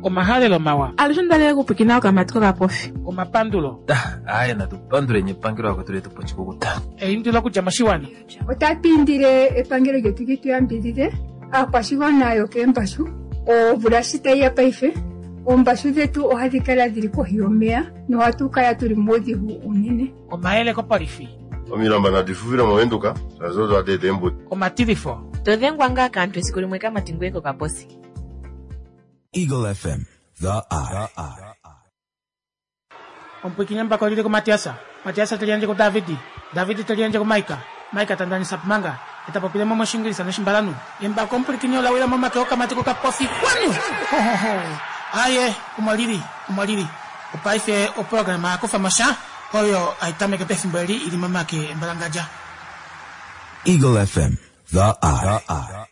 Omahalelo mawa. Alushe onda okupwikina okamati kokapofi. Omapandulo. Aaye natu panduleni epangelo lakwetu letu po oshikukuta. Eindilo okudja moshiwana. Otatu indile epangelo lyetu li tu yambidhidhe aakwashigwana yokeembashu. Omvula shi tayi ya paife, oombashu dhetu ohadhi kala dhili kohi yomeya nohatu kala tuli muudhigu uunene. Omayele kopolifi. Omilamba nadi fufile moVenduka shaashi odo hadi eta eembudi. Omatilifo. To dhengwa ngaa kaantu esiku limwe kamati ngoye kokaposi. Eagle FM, the eye. Omupwiikini embako oli li kuMatiasa, Matiasa te liyandje kuDavidi, Davidi te liyandje kuMaika, Maika ta ndanisa Pumanga, e ta popile mo mOshingilisa nOshimbalanhu. Embako omupwilikini ola wila momake okamati kokapofi kwanu! Ho, ho, ho! Aye, omo li li, omo li li. Opaife oprograma ya kufa mo sha, oyo hai tameke pefimbo eli i li momake embalangadja. Eagle FM, the eye.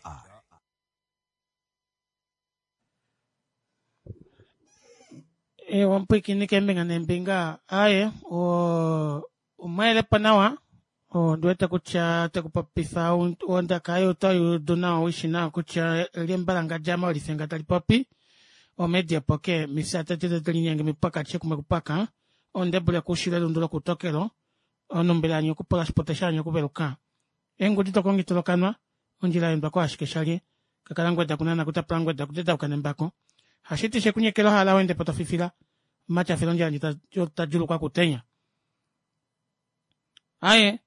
Ewa omupwiikini keembinga neembinga aye omweelepo nawa ondi wete kutya te ku popifa ondaka yaye oto i udu nawa ushi nawa kutya eli embalangadja molifenga tali popi omedi epoke mifya tete tete linyenge mipwaka chekumwe kupwaka ondebule kushile elundu lokutokelo onumbila yanyu okupula oshipote shanyu okuveluka Eengudi tokongita lokanwa, ondjila ya endwa ko ashike shalye, kakala ngweda kunana kutapula ngweda kutedauka nembako. Hashiti she kunyekela ohala wende po tofifila, omatyafelo ondjila ndji ta djulukwa kutenya. Aye,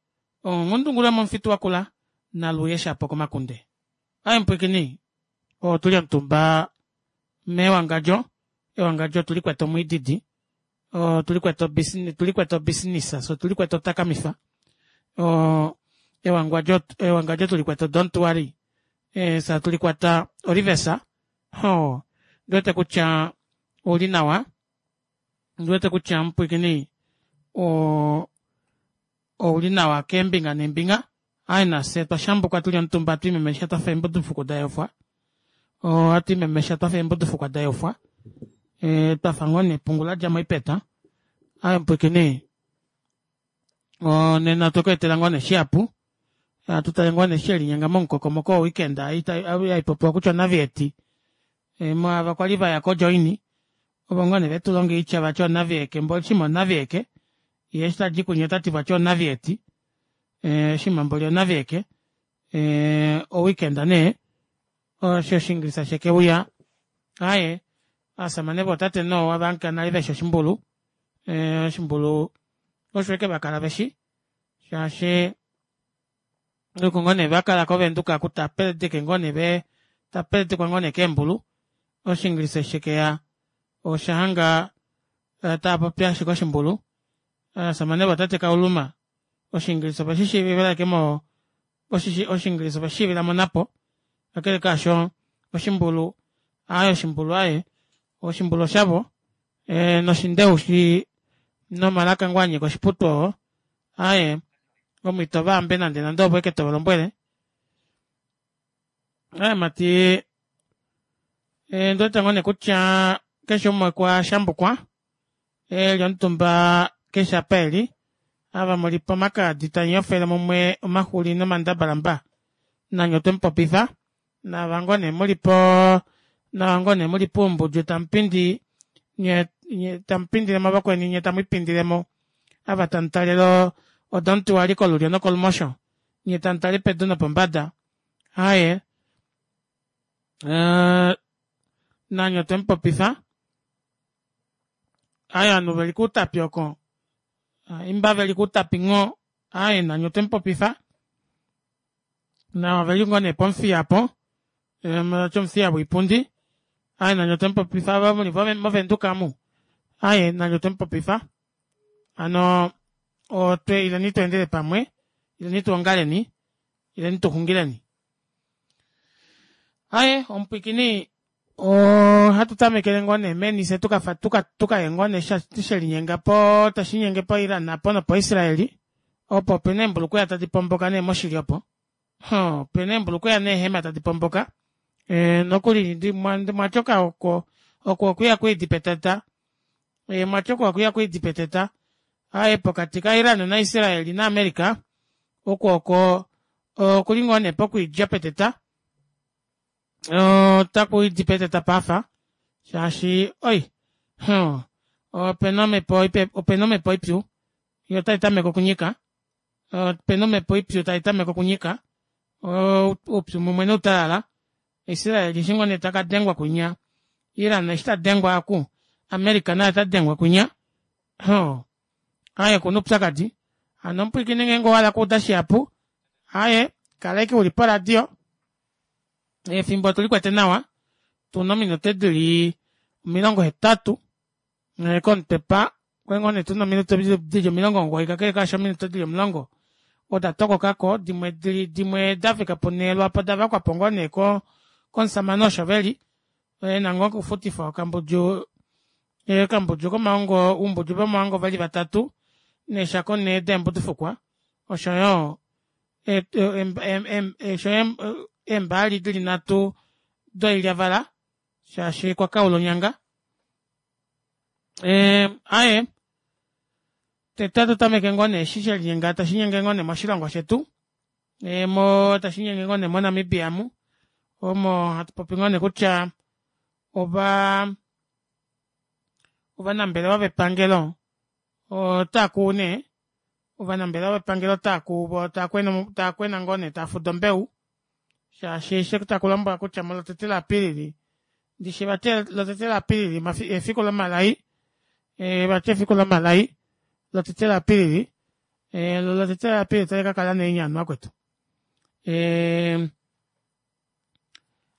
onghundungulu yomomufitu wakula, naluye shapo komakunde. Aye mupwiikini, otuli omutumba mewangadjo, ewangadjo otuli kwete omwiididi, otuli kwete obusiness, tuli kwete obusiness, so tuli kwete otakamifa. Ewangwadjo, ewangadjo tuli kwete don't worry. E, sa tuli kwata olivesa. Ho, ndi wete kutya ouli nawa. Ndi wete kutya mupwiikini o, ouli nawa keembinga neembinga. Aye nafye twa shambuka tuli omutumba twimemesha twafa eembudufukwa da yofwa. Ohatu imemesha twafa eembudufukwa da yofwa. E, twafa ngoo nepungu la dja moipeta. Aye mupwiikini, nena otwe ku etela ngoo nee shihapu. Hatu tale ngoo nee she linyenga momukokomoko woweekend ei hai popiwa kutya onavieti. E, mwaava kwali va ya kojoini, ovo ngoo nee ve tu longa oitya vati onavieke, mboli shima onavieke, ye eshi tadi kunye ota ti vati onavieti. Shima mboli onavieke. Oweekend nee, osho Oshingilisa sheke uya. Aye, aasamane vootate noowa vanka nale veshi oshimbulu. Oshimbulu osho eke va kala veshi, shaashi oko ngoo nee va kala koVenduka ku ta peledeke ngoo nee ve ta peledekwa ngoo nee keembulu. Oshingilisa eshi shekeya osha hanga tava popi ashike oshimbulu. Aasamane vootate Kauluma Oshingilisa oveshi shiivila ashike mo Oshingilisa oveshi shiivila monapo. Kakele kaasho oshimbulu aaye oshimbulu aaye oshimbulu oshavo e, noshindeushi nomalaka ngoo a nyika oshiputu oo aaye omo ito va ambe nande nande ovo eke tova lombwele. Aaye mati e, ndi wete ngoo nee kutya keshe umwe okwa shambukwa e li omutumba keshe apa e li ava mu li pomakaadi tamu yofele mumwe omaxuli nomandabalamba nanye otwe mu popifa naava ngoo nee mu li po naava ngoo nee mu li puumbudju tamu pindi nye nye tamu pindile mo vakweni nye tamu ipindile mo ava tamu talele odontuwali kolulyo nokolumosho nye tamu tale pedu nopombada aaye uh, nanye otwe mu popifa Aye ovanhu veli kuutapi oko imba veli kuutapi ngho aye nanye otwe mupopifa nawa veli ngoo nee pomuthiya po omuthiya woipundi aye nanye otwe mupopifa ava muli movenduka amu aye nanye otwe mupopifa hano otwe ileni tweendele pamwe ileni tuongaleni ileni tuxungileni Aye, omupwikini ohatu tamekele ngoo nee meni se tukafa tuka tukaye ngoo nee she linyenga po tashi nyenge po Iran apo nopo Israeli opo opena eembulukweya tadi pomboka nee moshili opo ho opena eembulukweya neehema tadi pomboka e, nokuli mwatyoka oko oko okuya kwiidi petata e, mwatyoka okuya kwiidi peteta aye pokati ka Iran na Israeli na America oko oko okuli ngoo nee pokwiidja peteta otaku idi peteta pafa Shaashi oi huh opena omepo opena omepo ipyu yoo otaitameke okunyika opena omepo ipyu taitameke okunyika oupyu mumwe noutalala Israel eshi ngoo nee takadengwa kwinya Iran eshi tadengwa aaku America naye otadengwa kwinya hoo aaye okuna oupyakadi hano omupwiikini ngeenge owahala okuuda shihapu aaye kala ashike uli poradio efimbo otulikwete nawa tuna ominute dili 80 komutwe pa okwali ngoo nee tuna ominute dili 90 kakele kaasho ominute dili 10 oda tokokako dimwe dimwe dafika punhee lwaapo odavakwapo ngoo nee komushamane osho veli ena ngoo okufutifwa okambudju okambudju komaongo oumbudju vomaongo veli vatatu neeshako nhee deembudufukwa oshoyo eembaali dili nhatu doilyavala shaashi okwa kaula onyanga. Aaye tete ohatu tameke ngoo nee eshi shelinyenga tashinyenge ngoo nee moshilongo shetu tashinyenge ngoo nee mo Namibia amu omo hatu popi ngoo nee kutya ovaa ovanambelewa vepangelo otaakuu nee ovanambelewa vepangelo otaakuu voo taakwena ngoo nee taafuda ombeu shaashi eshi takulombwelwa kutya molotete la apilili ndishi vati lotete la apilili efiku lomalai vati efiku lomalai lotete la apilili lo lotete la apilili otali kakala nee enyanyu vakwetu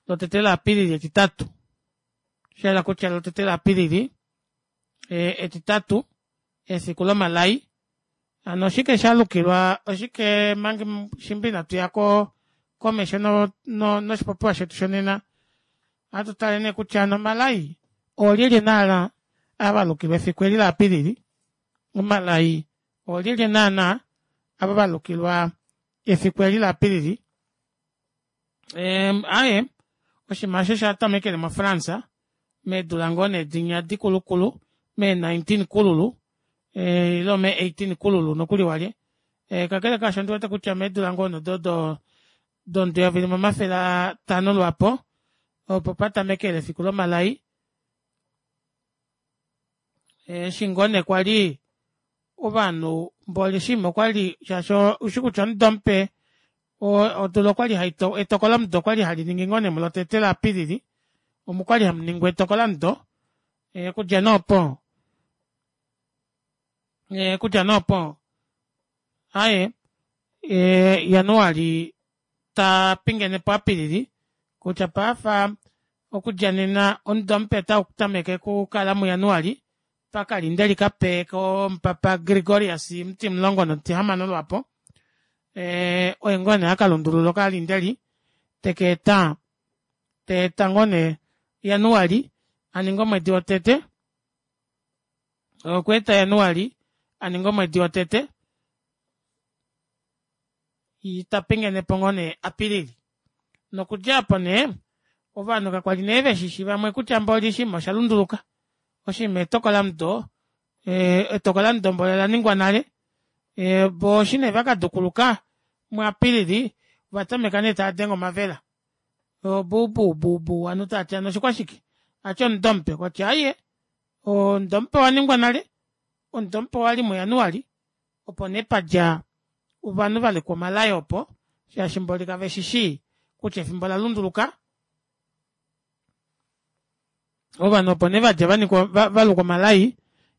lotete la apilili etitatu oshahala kutya lotete la apilili etitatu efiku lomalai hano oshike shalukilwa oshike manga shimba inatuya komesho noshipopiwa shetu shonena ohatu tale nee kutya hano omalai oolyelye naana ava valukilwa efiku eli la apilili omalai oolyelye naana ava valukilwa efiku eli la apilili aaye oshinima eshi osha tamekele mo france meedula ngoo nee dinya dikulukulu mee 19 kululu ile mee 18 kululu nokuli walye kakele kaasho ondiwete kutya meedula ngoo nee odo domudo 1500 lwaapo opo patamekele efiku lomalai eshi ngoo nee kwali ovanhu mboli oshinima okwali shaashi oushi kutya omudo mupe odula okwali etokolomudo okwali hali ningi ngoo nee mulotete la apilili omo kwali hamuningwa etokolomudo okudja nee opo okudja nee opo aaye januali tapingenepo apilili kutya paife okudja nena omudo mupe otautameke okukala mujanuali pakalindeli kape komupapa Gregorius omutimulongo nomutihamano lwaapo oye ngoo nee akalundulula okalindeli tekeeta teeta ngoo nee januali aninge omwedi wotete okweeta januali aninge omwedi wotete tapingenepo ngoo nee apilili nokudja aapo nee ovanhu kakwali nee veshishi vamwe kutya mboli oshinima oshalunduluka oshinima etokolamudo etokolamudo mboli olaningwa nale voo eshi nee vakadukuluka mu apilili ovatameka nee taadenge omavela buubuubuu ovanhu tavati hano oshikwashike vati omudo mupe kwati aaye omudo mupe owaningwa nale omudo mupe owali mu januali opo nee padja ovanhu valukwa omalai opo shaashi mboli kaveshishi kutya efimbo olalunduluka ovanhu opo nee vadja vanikwa valukwa omalai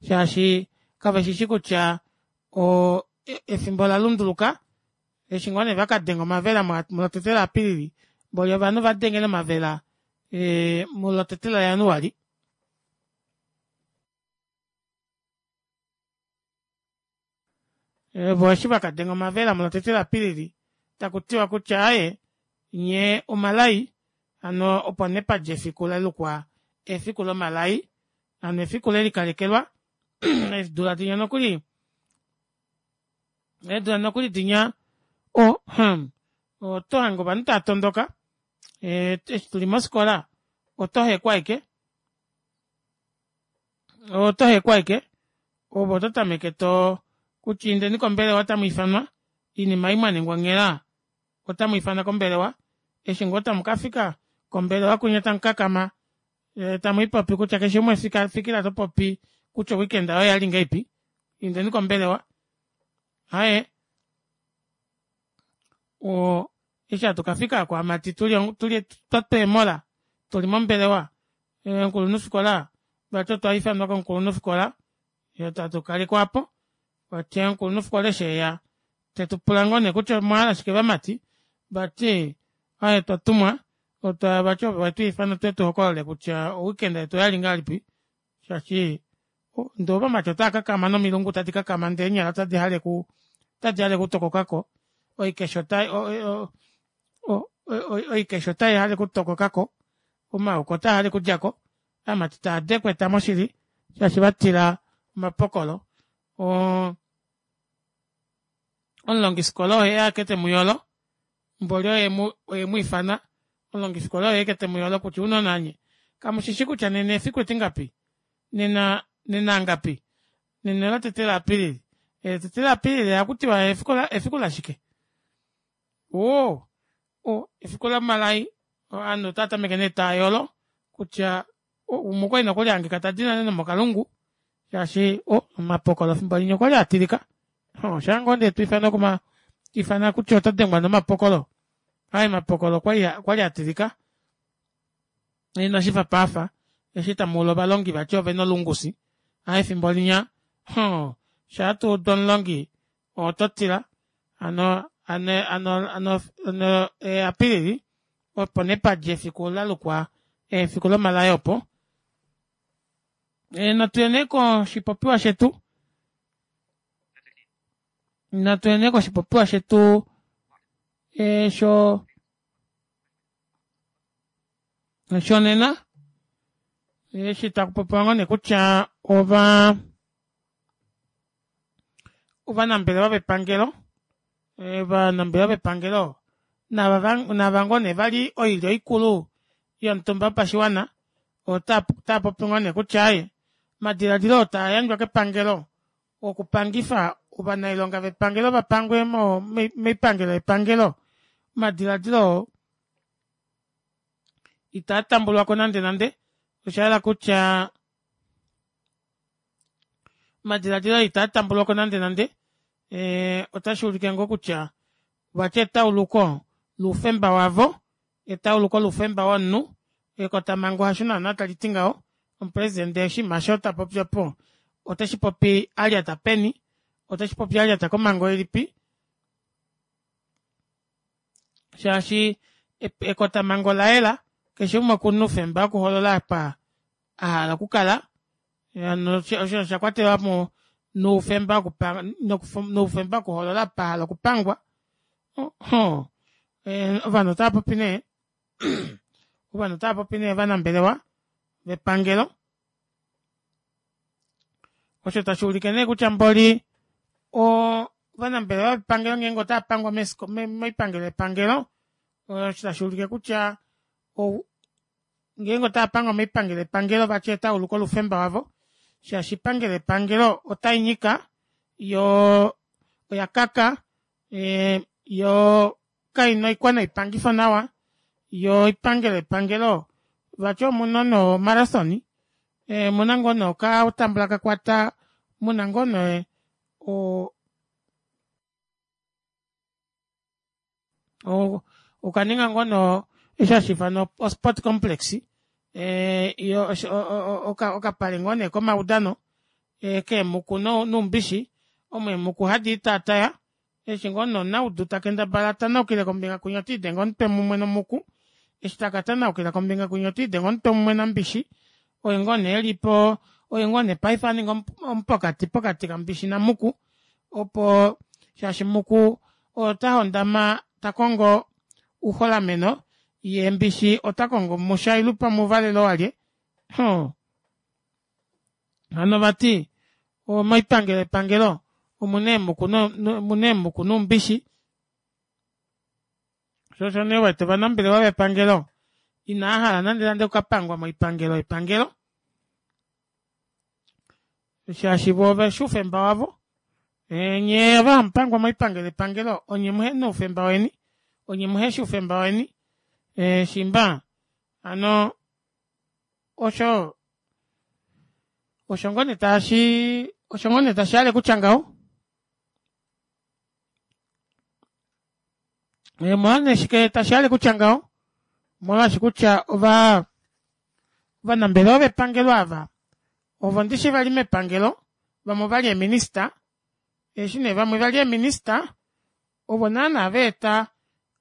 shaashi kaveshishi kutya efimbo olalunduluka eshi ngoo nee vakadenga omavela mulotete la apilili mboli ovanhu vadengele omavela mulotete la januali. Vo eshi vakadenga omavela mulotete la apilili takutiwa kutya aaye nyee omalai hano opo nee padja efiku lalukwa efiku lomalai hano efiku lelikalekelwa eedula dinya nokuli eedula nokuli dinya oh oto hange ovanhu tava tondoka eshi tuli mofikola oto hekwa ashike oto hekwa ashike ove oto tameke to kutya indeni kombelewa otamu ifanwa oinima ei mwaningwa onghela otamu ifanwa kombelewa eshi ngoo tamu kafika kombelewa kwinya tamu kakama. Tamuipopi kutya keshe umwe fikila topopi kutya o weekend yoye oyali ngahelipi indeni kombelewa aaye oo eshi hatu kafika aaku haimati tuli twatwa eemola tuli mombelewa omukulunhufikola vati otwa ifanwa komukulunhufikola fyee hatu kalekwa aapo vati omukulunhufikola eshi eya tetupula ngoo nee kutya omwahala shike vamati vati aaye otwatumwa vati ove wetwiifana tuye tuhokolole kutya o weekend yetu oyali ngahelipi shaashi ndee ovamati otaakakama nomilungu tadi kakama ndee eenyala ota dihale okutokokako oikesha otaihale okutokokako omaoko otaahale okudjako ovamati taadekweta moshili shaashi vatila omapokolo oo omulongifikola oye ashike temuyolo mboli oye emwiifana omulongifikola oye ashike temuyolo kutya ounona nye kamushishi kutya nena efiku etingapi nena nena angapi nena olo tete la apilili etete la apilili ohakutiwa efiku lashike woo efiku lomalai ovanhu otaatameke nee taayolo kutya umwe okwali nokuli ahangika tadi nale nomokalungu shaashi omapokolo efimbo linya okwali atilika shaangoo nee twiifanwa kutya oto dengwa nomapokolo aaye omapokolo okwali atilika inashifa paafa eshi tamuulu ovalongi vati ovena olungusi aaye efimbo linya mhoo shaa tuudu omulongi ototila hano hano apilili opo nee padja efiku lalukwa efiku lomalai opo. Natuye nee koshipopiwa shetu natuye nee koshipopiwa shetu shonena eshi takupopiwa ngoo nee kutya ova ovanambelewa vepangelo ovanambelewa vepangelo nava ngoo nee vali oilyo ikulu yomutumba wopashiwana otaapopi ngoo nee kutya aaye omadilaadilo oo taayandjwa kepangelo okupangifa ovanailonga vepangelo vapangwe moipangelo yepangelo omadilaadilo oo itaa tambulwako nande nande oshahala kutya omadilaadilo oo itaa tambulwako nande nande otashuulike ngoo kutya vati etauluko loufemba wavo etauluko loufemba womunhu ekotamango hasho naana taliti ngaho omupresident oshinima aasho tapopi opo oteshipopi alyata peni oteshipopi alyata komango ilipi shaashi ekotamango olayela keshe umwe okuna oufemba wokuhoolola apa ahala okukala hano osho osha kwatelwamo noufemba noufemba wokuhoolola apa ahala okupangwa ovanhu otaapopi nee ovanhu otaapopi nee ovanambelewa vepangelo osho tashuulike nee kutya mboli ovanambelewa vepangelo ngeenge otaapangwa moipangelo yepangelo osho tashuulike kutya ngeenge otaapangwa moipangelo yepangelo vati etauluko loufemba wavo shaashi oipangelo yepangelo otainyika yoo oyakaka yoo kaina oikwanoipangifo nawa yoo oipangelo yepangelo vati omuna no marathon omuna ngoo nee okatambula kakwata muna ngoo nee okaninga ngoo nee osho hashiifanwa o sport complex okapale ngoo nee komaudano keemuku noumbishi omo eemuku hadi itaataya eshi ngoo nee omunaudu takendabala atanaukile kombinga kwinya otiidenge omutwe mumwe nomuku eshi taka tanaukila kombinga kwinya otiidenge omutwe mumwe nambishi oye ngoo nee elipo oye ngoo nee paife aninga omupokati pokati kambishi namuku opo shaashi muku ota hondama takongo ouholameno yee mbishi otakongo mushailu pamwe ouvalelo alye hano vati moipangelo yepangelo omuna eemuku noumbishi shoo osho nee uwete ovanambelewa vepangelo inaahala nande nande okukapangwa moipangelo yepangelo shaashi voo oveshi oufemba wavo nyee ava hamupangwa moipangelo yepangelo onye muhena oufemba weni onye muheshi oufemba weni shiimba hano. Osho osho ngoo nee tashi osho ngoo nee tashihale kutya ngaho. Omolwa shike tashihale kutya ngaho? Omolwaashi kutya ova ovanambelewa vepangelo ava ovo ndishi vali mepangelo vamwe ovali eeminista eshi nee vamwe vali eeminista ovo naana vaeta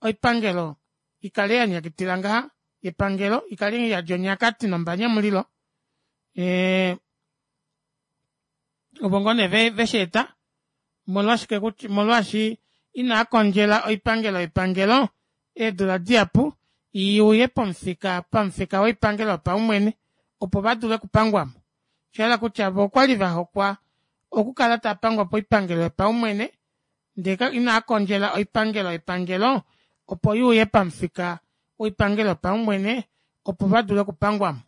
oipangelo ikale yanyakitila ngaha yepangelo ikale iyadi onyakati nombanyamulilo ee ovo ngoo nee vesheeta omolwashike kutya omolwaashi inaakondjela oipangelo yepangelo eedula dihapu iuye pomufika pamufika woipangelo yopaumwene opo vadule okupangwamo oshahala kutya voo okwali vahokwa okukala taapangwa poipangelo yopaumwene ndee inaakondjela oipangelo yepangelo opo yuuye pamufika woipangelo yopaumwene opo vadule okupangwamo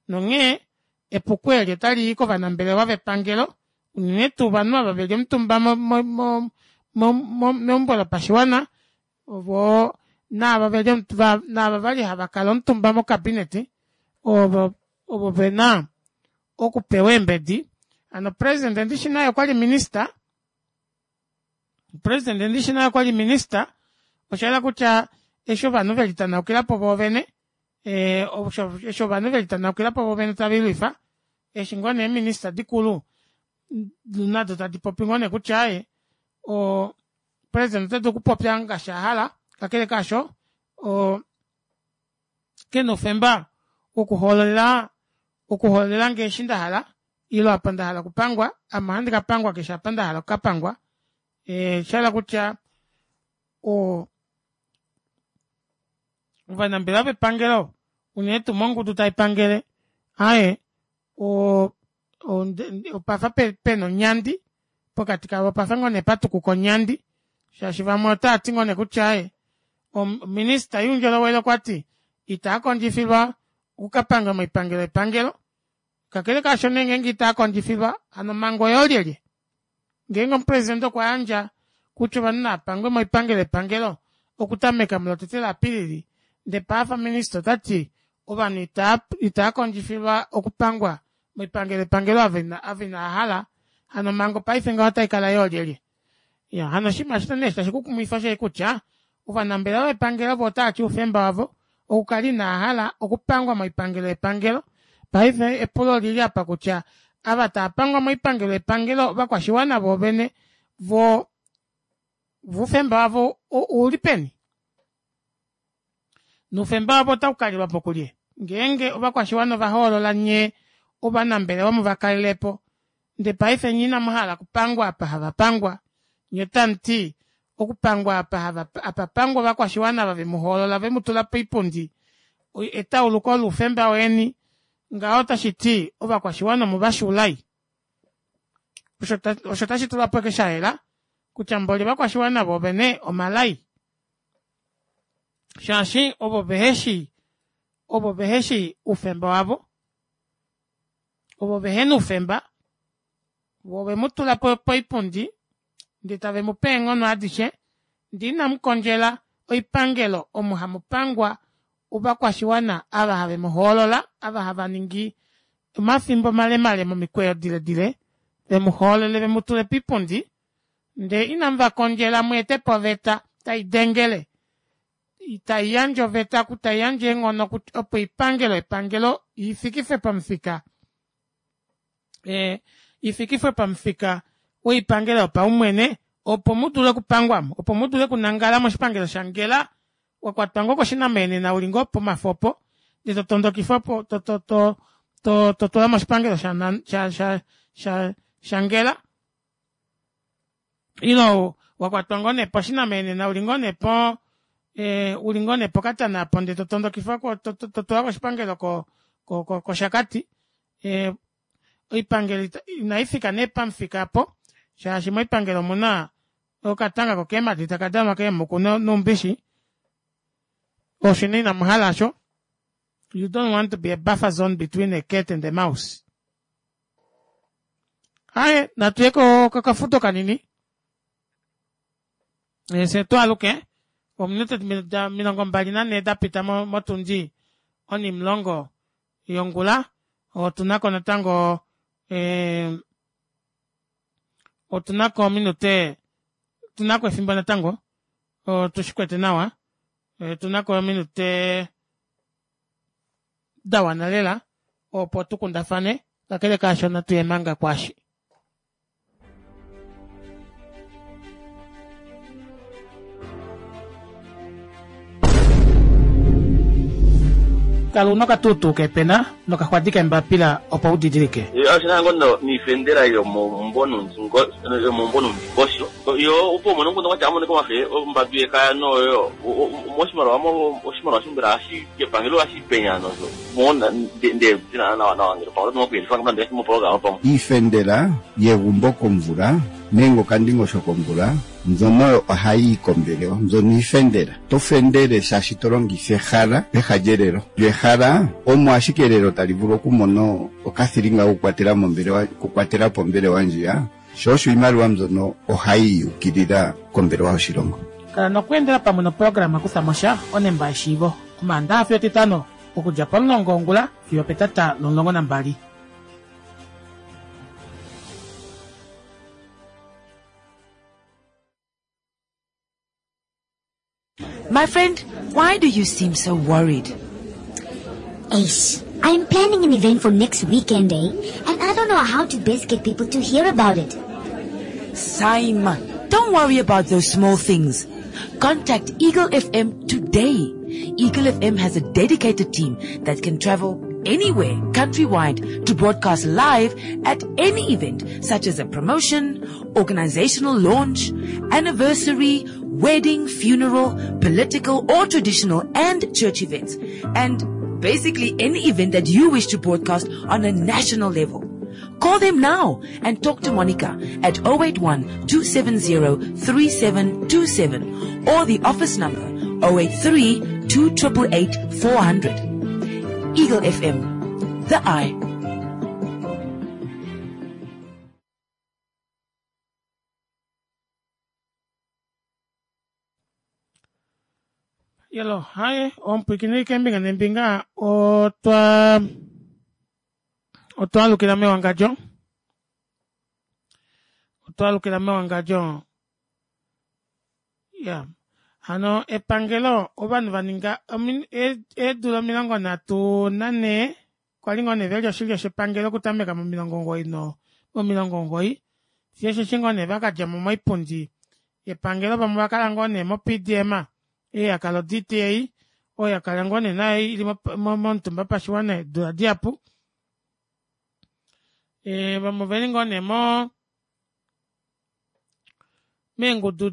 nonghee epuko eli otalii kovanambelewa vepangelo unene tuu ovanhu ava veli omutumba meumbo lopashiwana voo naava veli naava vali havakala omutumba mo cabinet ovo ovo vena okupewa eembedi hano president ndishi naye okwali minister president ndishi naye okwali minister oshahala kutya eshi ovanhu velitanaukilapo voovene eshi ovanhu velitanaukilapo voovene tavilwifa eshi ngoo nee eeminister dikulu nado tadi popi ngoo nee kutya aaye o president ota dulu okupopya ngaashi ahala kakele kaasho o kena oufemba wokuhoololela okuhoololelange eshi ndahala ile apa ndahala okupangwa ame ohandi kapangwa keshe apa ndahala okukapangwa oshahala kutya o ovanambelewa vepangelo unene tuu mongudu taipangele aaye opafa pena onyandi pokati kavo opafa ngoo nee patukuka onyandi shaashi vamwe otaati ngoo nee kutya aaye ominista youndjolowele okwati itaakondjifilwa okukapanga moipangelo yepangelo kakele kaasho nee ngeenge itaakondjifilwa hano omhango oyoolyelye ngeenge omupresidente okwa yandja kutya ovanhu naapangwe moipangelo yepangelo okutameka mulotete laApilili ndee paafa minista otati ovanhu itaa kondjifilwa okupangwa moipangelo yepangelo ava inaahala hano omhango paife ngaho otaikala yoolyelye iya hano oshinima eshi nee tashi kukumwifa osheshi kutya ovanambelewa vepangelo vo otaati oufemba wavo okukala inaahala okupangwa moipangelo yepangelo paife epulo olili apa kutya ava taapangwa moipangelo yepangelo ovakwashiwana voovene vo oufemba wavo ouli peni noufemba wavo otaukalilwapo kulye ngeenge ovakwashiwana ovahoolola nyee ovanambelewa muvakalelepo ndee paife nye inamuhala okupangwa apa havapangwa nye otamuti okupangwa apa hava apa pangwa ovakwashiwana ava vemuhoolola vemutula poipundi etauluko loufemba weni ngaho otashiti ovakwashiwana omuvashuulai osho tashi tulwapo ashike shayela kutya mboli ovakwashiwana voovene omalai shaashi ovo veheshi ovo veheshi oufemba wavo ovo vehena oufemba vo ovemutula poipundi ndee tave mupe eenghono adishe ndee inamukondjela oipangelo omo hamupangwa ovakwashiwana ava have muhoolola ava hava ningi omafimbo malemale momikweyo diledile vemuhoolole vemutule poipundi ndee inamuvakondjela mweetepo oveta taidengele taiyandje oveta taiyandje eenghono opo oipangelo yepangelo ifikifwe pamufika ifikifwe pamufika woipangelo yopaumwene opo mudule okupangwamo opo mudule okunangala moshipangelo shangela wakwatwa ngoo koshinameenena uli ngoo pomafo opo ndee totondokifwa po totulwa moshipangelo shangela ile wakwatwa ngoo nee poshinameenena uli ngoo nee po uli ngoo nee pokatana apo ndee totondokifwa totulwa koshipangelo koshakati oipangelo inaifika nee pamufika aapo shaashi moipangelo omuna okatanga kokeemadi taka danwa keemuku noumbishi osho nee inamuhala aasho you don't want to be a buffer zone between a cat and a mouse aye natuye kokafudo kanini fye twaaluke ominute 24 dapita motundi onimulongo. yongula otunako natango eh, otunako ominute otunako efimbo natango otushikwete nawa otunako ominute da wana lela opo tukundafane kakele kaasho natuye manga kwaashi. Kala una okatuutuu kepena nokaxwadi kembapila opo u didilike. Oshina ngo niifendela yomomumbo nuundingosho yo opo umone omukundu gwatya amone komafe ombambi yekaya noyo moshimaliwa oshimaliwa shimbela hashi kepangelo hashi penya nozo mona nde dina nawa nawa ngele pamwe oto kuyelifa ngamba ndele moprograma pamwe. Iifendela yegumbo komvula nenge okandingosho komvula mbyono oyo ohayi yi kombelewa. Mbyono iifendela. To fendele shaashi to longitha ehala peha lyelelo. Lyo ehala omo ashike elelo tali vulu okumona okathilinga kokukwatela mombelewa, okukwatela po ombelewa ndjiya. Sho osho iimaliwa mbyono ohayi yi ukilila kombelewa yoshilongo. Kala nokweendela pamwe noprograma Kutha mo sha, onemba yeshiivo, Omaandaha fiyo Etitano, okudja pomulongo wongula fiyo opetata lomulongo nambali. My friend, why do you seem so worried? Ace, I'm planning an event for next weekend, eh? And I don't know how to best get people to hear about it. Simon, don't worry about those small things. Contact Eagle FM today. Eagle FM has a dedicated team that can travel anywhere countrywide to broadcast live at any event such as a promotion, organizational launch, anniversary, wedding, funeral, political or traditional and church events. And basically any event that you wish to broadcast on a national level. Call them now and talk to Monica at 081 270 3727 or the office number 083 2888 400. Eagle FM, the eye. Yelo, haye, omupwiikini keembinga neembinga otwa otwa alukila mewangadjo otwa alukila mewangadjo ya hano epangelo ovanhu va ninga eedula 34 kwa li ngoo nee veli oshilyo shepangelo okutameka momilongo omugoyi no momilongo omugoyi fiyo osheshi ngoo nee vakadja mo moipundi yepangelo vamwe ovakala ngoo nee mo-PDM ei yakala o-DTA oyo yakala ngoo nee nayo ili momutumba pashiwana eedula dihapu e, vamwe oveli ngoo nee mo meengudu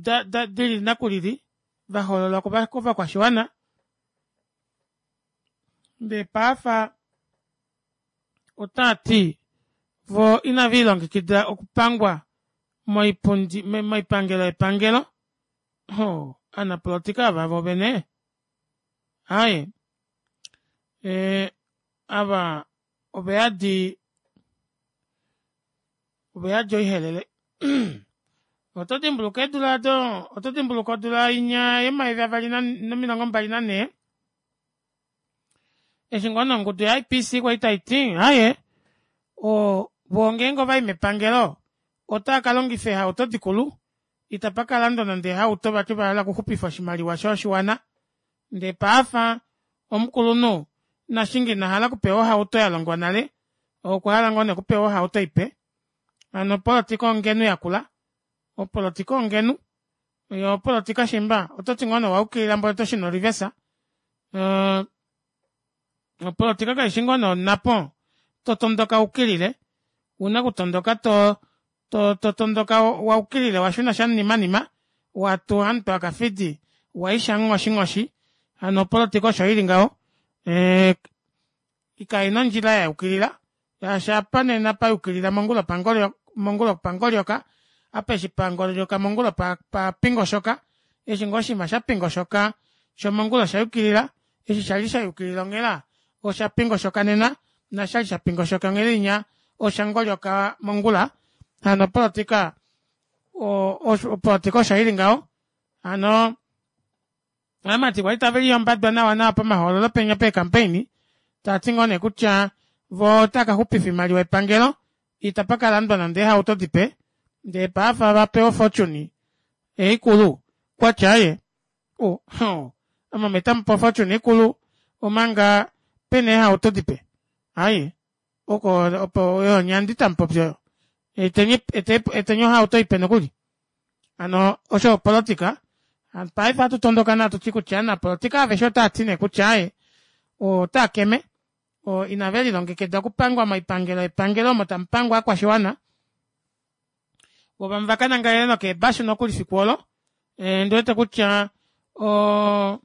dili nakulili vahoololwa kovakwashiwana ndee paafa otaa ti vo inave ilongekida okupangwa moipundi moipangelo yepangelo ho anapolotika ava vo vene aye e, ava ove yadi ove yadi oihelele oto dimbuluka eedula ado oto dimbuluka odula inya yomayovi avali nomilongo mbali nanhee eshi ngoo nongudu ya-IPC kwali tai ti aye o vo ngeenge ovai mepangelo otava ka longifa eehauto dikulu itapa ka landwa nande eehauto vati ova hala okuxupifa oshimaliwa shoshiwana ndee paafa omukulunhu nashinge ina hala okupewa ohauto ya longwa nale okwa hala ngoo nee okupewa ohauto ipe hano opolotika ongenu yakula opolotika ongenu yo opolotika shimba oto ti ngoo nee owaukilila mboli oto shuna orivesa uh, opolotika kaishi ngoo nee onapo to tondoka ukilile una kutondoka to to to tondoka wa ukilile wa shuna shanimanima watu hantu akafidi waisha nghoshi hano opolotika osho ili ngaho e, ikaina ondjila ya yukilila shaashi apa nena pa yukilila mongula pangolyo mongula pangolyoka apa eshi pangolyoka mongula pa, pa pingoshoka eshi ngoo oshinima sha pingoshoka shomongula osha yukilila eshi shali sha yukilila onghela osha pingoshoka nena nashali sha pingoshoka onghela inya osha ngolyoka mongula hano opolotika opolotika osho ili ngaho hano amati kwali tave liyombadwa nawa nawa pamahoololo penya peekampaini. Taati ngoo nee kutya voo otaka xupifa oimaliwa yepangelo itapa kalandwa nande eehauto dipe ndee paafa vapewa ofortune eikulu kwatya aaye o ame tamupe ofortune ikulu omanga pena eehauto dipe aaye oko opo oyo onyandi tamupopi oyo eteni eteni ohauto ipe nokuli hano osho opolitika paife ohatu tondoka nee hatuti kutya ovanapolitika aveshe otaati nee kutya aaye otaakeme inave lilongekida okupangwa moipangelo yepangelo omo tamupangwa ovakwashiwana voo vamwe vakanangalele nokeebashu nokuli fiku olo ondiwete kutya oo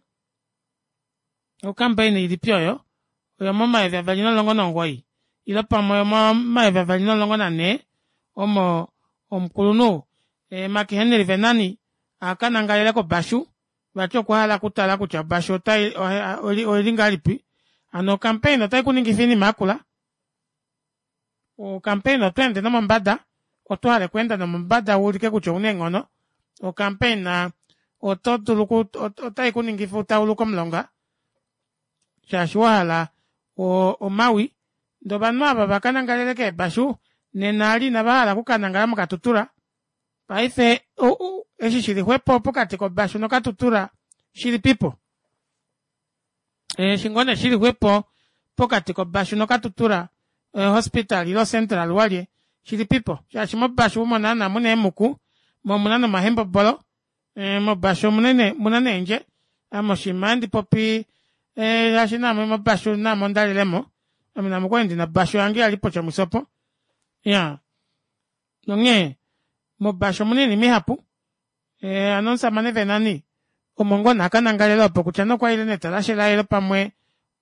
ocampaign ilipi oyo oyomomayovi 2019 ile pamwe oyomomayovi 2014 omo omukulunhu Mark Henry Venani akanangalele kobashu vati okwahala okutala kutya obashu oili ngahelipi hano ocampaign otai kuningifa oinima yakula Ocampaign oto ende nomombada, oto hale okweenda nomombada wuulike kutya ouna eenghono. Ocampaign oto dulu otai kuningifa utauluke omulonga shaashi wahala omawi. Ndee ovanhu ava vakanangalele keebashu nena eli inava hala okukanangala moKatutura. Paife eshi shili xwepo pokati kobashu noKatutura shilipipo? Eshi ngoo nee shili xwepo pokati kobashu noKatutura hospital ile central walye shilipipo shaashi mobashu omo naana muna eemuku moo omuna nomahembobolo mobashu omuna neendje ame oshiima handi popi shaashi naame mobashu naame ondalilemo ame naame okwali ndina obashu yange yali pOtjomuise opo iyaa nonghee mobashu omuna oinima ihapu hano omushamane Venani omo ngoo nee akanangalela opo kutya nee okwaile netalashe laye ile pamwe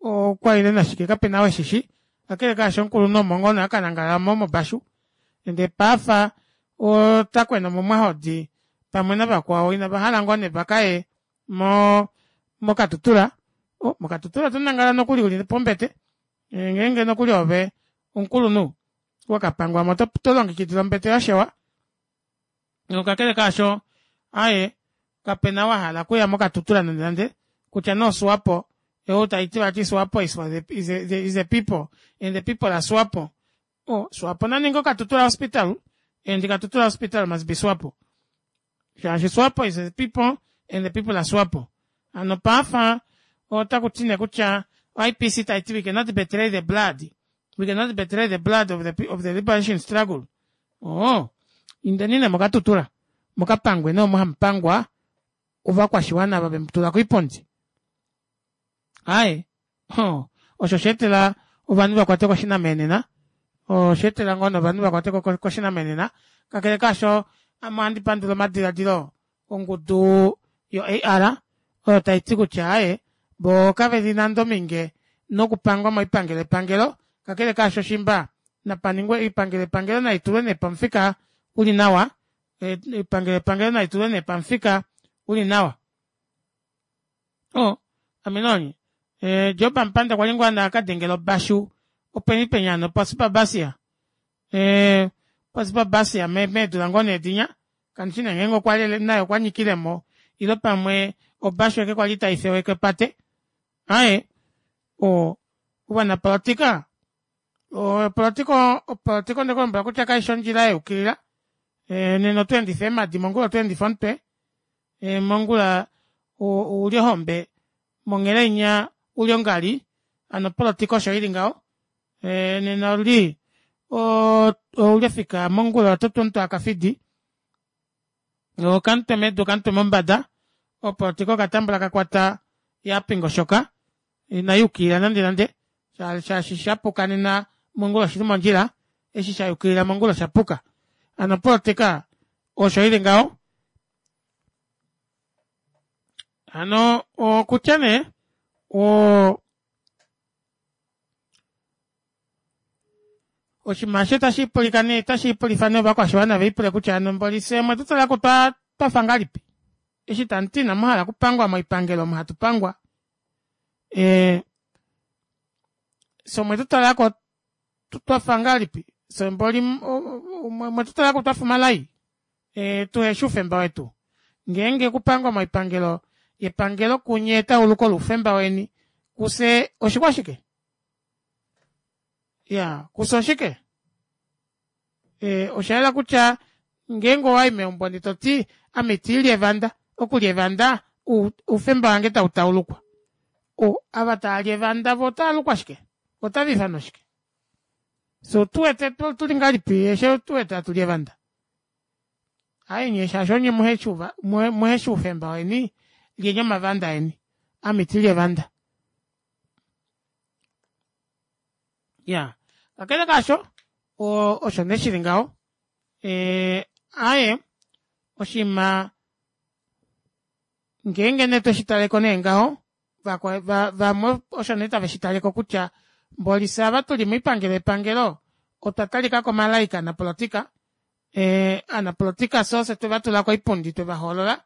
okwaile nashike kapena ou eshishi kakele kaasho omukulunhu omo ngoo nee akanangala omo mobashu ndee paafa otakwena momahodi pamwe navakwao inavahala ngoo nee vakaye moKatutura moKatutura oto nangala nokuli uli pombete ngeenge nokuli oove omukulunhu wakapangwamo tolongekidilwa ombete yashewa Nokakele kaasho, aaye, kapena wahala okuya moKatutura nande nande, kutya nee oSwapo, ou taiti vati Swapo is for the, is the, is the people and the people are Swapo. Oh, Swapo na ninge oKatutura Hospital and Katutura Hospital must be Swapo. Shaashi Swapo is the people and the people are Swapo. Hano paafa otaku ti nee kutya IPC tai ti we cannot betray the blood. We cannot betray the blood of the, of the liberation struggle. Oo, indeni nee moKatutura mukapangwe nee omo hamu pangwa ovakwashiwana ava vemu tula koipundi. Aaye, hoo, osho osha etela ovanhu va kwatwe koshinamenena, osha etela ngoo nee ovanhu va kwatwe koshinamenena. Kakele kaasho, ame ohandi pandula omadiladilo ongudu yo-AR oyo tai ti kutya aaye voo kave li nande ominge nokupangwa moipangelo yepangelo, kakele kaasho shimba napa ningwe oipangelo yepangelo nai tulwe nee pamufika uli nawa, oipangelo yepangelo nai tulwe nee pamufika uli nawa. O, ame noonye. E, Job Amupanda okwa li ngoo ana aka dengela obashu openi penya hano poSipabasia. E, poSipabasia meedula ngoo nee dinya Kandi shi nee ngeenge okwa lele naye okwa nyikile mo ile pamwe obashu eke kwali tai feweke opate. Aaye, o ovanapolotika opolotika opolotika onde ku lombwela kutya kai shi ondjila ya yukilila. E, nena oto endifa eemhadi mongula oto endifa omutwe. E, mongula ouli ohombe monghela inya uli ongali. Hano opolotika osho ili ngaho. E, nena ouli ouli ofika mongula oto tu omuntu akafidi. Okamutwe medu okamutwe mombada. Opolotika okatambula kakwata yapingoshoka inayukilila nande nande shaashi shapuka nena mongula oshili mondjila eshi sha yukilila mongula oshapuka hano opolotika osho ili ngaho hano okutya nee o Oshinima eshi otashi pulika nee otashi pulifa nee ovakwashiwana ve lipule kutya hano mboli fye omwe tu tala ko twa twafa ngahelipi eshi tamu ti inamu hala okupangwa moipangelo omo hatu pangwa ee fye omwe tu tala ko twafa ngahelipi fye mboli omwe tu tala ko twafa omalai ee tuheshi oufemba wetu ngeenge okupangwa moipangelo yepangelo kunye etauluko loufemba weni kufye oshikwashike? Iya, kufye oshike? Osha yela kutya ngeenge owai meumbo ndee toti ame itiili evanda, okulya evanda oufemba wange tau taulukwa. Ava taali evanda voo otaalukwa shike? Otava ifanwa shike? Fyee otuwete tuli ngahelipi eshi tuwete hatuli evanda? Aaye nyee shaashi onye muheshi oufemba weni lyeni omavanda eni ame itili evanda. Iyaa kakele kaasho osho nee shili ngaho aaye oshiima ngeenge nee tweshitaleko nee ngaho vamwe osho nee tave shitaleko kutya mboli fyee ava tuli moipangelo yepangelo otwa talikako omalai kovanapolitika ovanapolitika fyee ofye twevatula koipundi twevahoolola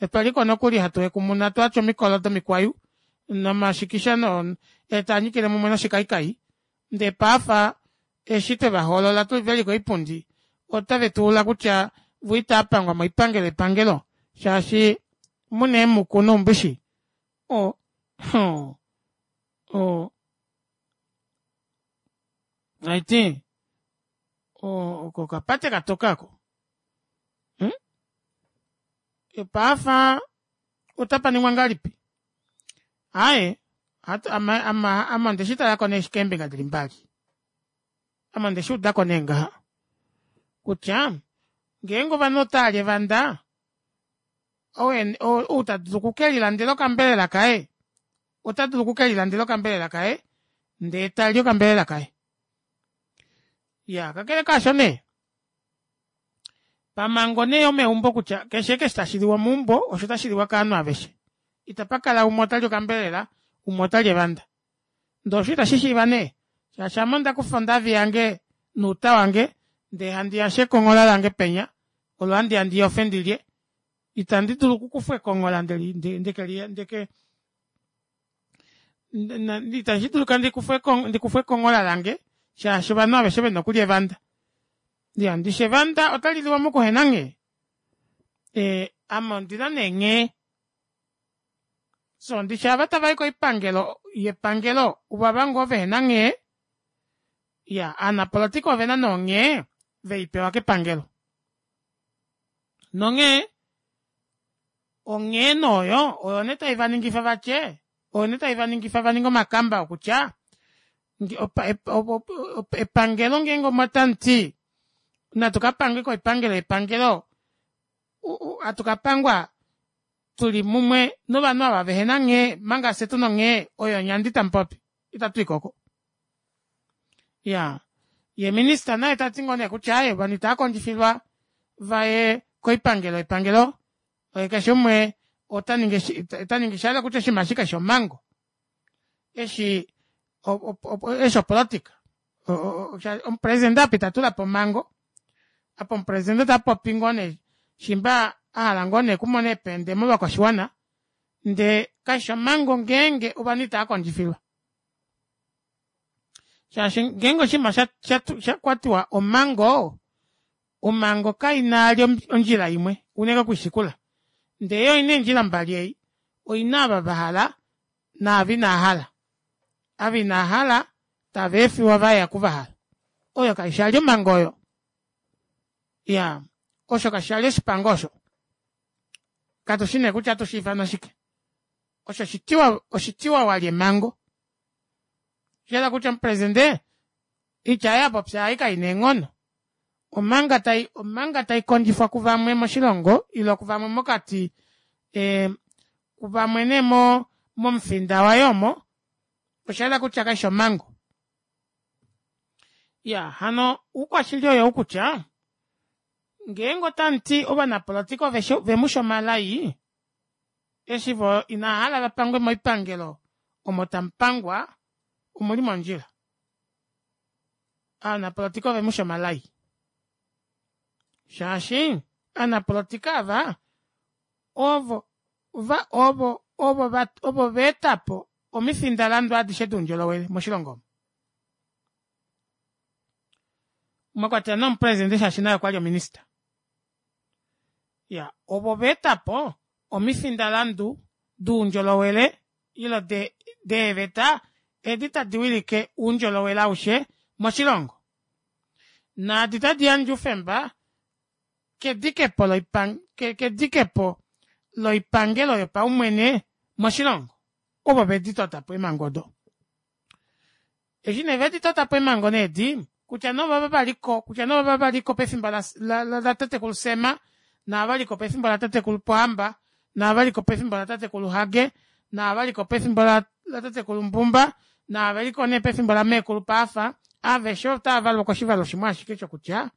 Otwaliko nokuli hatu hekumuna twatya omikolo domikwayu nomashikisha ee taanyikile mumwe noshikaikai ndee paafa eshi twevahoolola veli koipundi otave tuula kutya voo itaapangwa moipangelo yepangelo shaashi muna eemuku noumbishi o o haiti oko okapate katoka oko Paafa otapa ningwa ngahelipi? Aaye, ame onde shi tala ko nee keembinga dili mbali. Ame onde shi uda ko nee ngaha kutya ngeenge ovanhu otava li evanda, ou ta dulu oku ke lilandela okambelela kaye, ota dulu oku ke lilandela okambelela kaye ndee tali okambelela kaye. Iyaa, kakele kaasho nee, Pamhango nee yomeumbo kutya keshe eshi tashi liwa meumbo osho tashi liwa kovanhu aveshe. Itapa kala umwe ota li okambelela umwe ota li evanda. Ndee osho itashi shiiva nee shaashi ame onda kufa ondavi yange nouta wange ndee handi yashe ekonghola lange penya olo handi ya ndi yofe ndilye. Itandi dulu okukufa ekonghola ndeke itashi dulika ndikufe ekonghola lange shaashi ovanhu aveshe vena okulya evanda. Iya, ndishi evanda otali liwa mokuhena nghee? Ee, ame ondina nee nghee. So, ndishi ava tava i koipangelo yepangelo ovava ngoo vehena nghee? Iya, aanapolitika ovena nee onghee vei pewa kepangelo. Nonghee, onghee nee oyo, oyo nee tai va ningifa vatye, oyo nee tai va ningifa va ninge omakamba okutya, epangelo ngeenge omwa tamuti natu ka pange koipangelo yepangelo hatu ka pangwa tuli mumwe novanhu ava vehena nghee manga fye tuna onghee oyo onyandi tamupopi itatu i koko ya ye minista naye tati ngoo nee kutya aye ovanhu itava kondjifilwa vaye koipangelo yepangelo keshe umwe ota ningi ota ningi shahala kutya oshinima eshi kashi omhango eshi eshi opolitika omupresidente apa ita tula po omhango apa omupresidente ota popi ngoo nee shimba a hala ngoo nee okumona eepende movakwashiwana ndee kashi omhango ngeenge ovanhu itava kondjifilwa shaashi ngeenge oshinima sha kwatiwa omhango omhango kaina ali ondjila imwe unene okuishikula ndee yo oina eendjila mbali ei oina ava vahala naava inaahala. Ava inaahala tava efiwa vaye aku vahala. Oyo kaishi ali omhango oyo. Iya, osho kashi ali oshipango osho. Katu shi nee kutya atu shi ifana shike. Osho oshitiwa, oshitiwa wali emhango. Osha kutya omupresidente itya yaye a popya ai kai na eenghono. Omanga tai, omanga tai kondjifwa kuvamwe moshilongo ile kuvamwe mokati e, kuvamwe nee mo, momufinda waye omo, osha yela kutya kaishi omhango. Ya, hano oukwashili oyou kutya ngeenge otamu ti ovanapolotika ove ve mu shi omalai, eshi vo inava hala va pangwe moipangelo omo tamu pangwa, omu li mondjila. Aanapolotika ove mu shi omalai. Shaashi aanapolotika ava ovo va ovo ovo va ovo va eta po omifindalandu adishe doundjolowele moshilongo omu. Mwa kwatelwa nomupresidente shaashi naye okwa li ominista. Ya, ovo va eta po omifindalandu doundjolowele ile de deeveta edi tadi wilike oundjolowele aushe Moshilongo. Naadi tadi yandje oufemba kedikepo loipang kedikepo loipangelo yopaumwene moshilongo. Ovo vedi totapo eemhango odo. Eshi nee vedi totapo eemhango nee edi, kutya nee ovava valiko, kutya nee ovava valiko pefimbo latatekulu Sam, naava valiko pefimbo latatekulu Pohamba, naava valiko pefimbo latatekulu Hage, naava valiko pefimbo latatekulu Mbumba, naava veliko nee pefimbo lameekulu Paafa, aveshe otavavalwa koshivalo shimwe ashike shokutya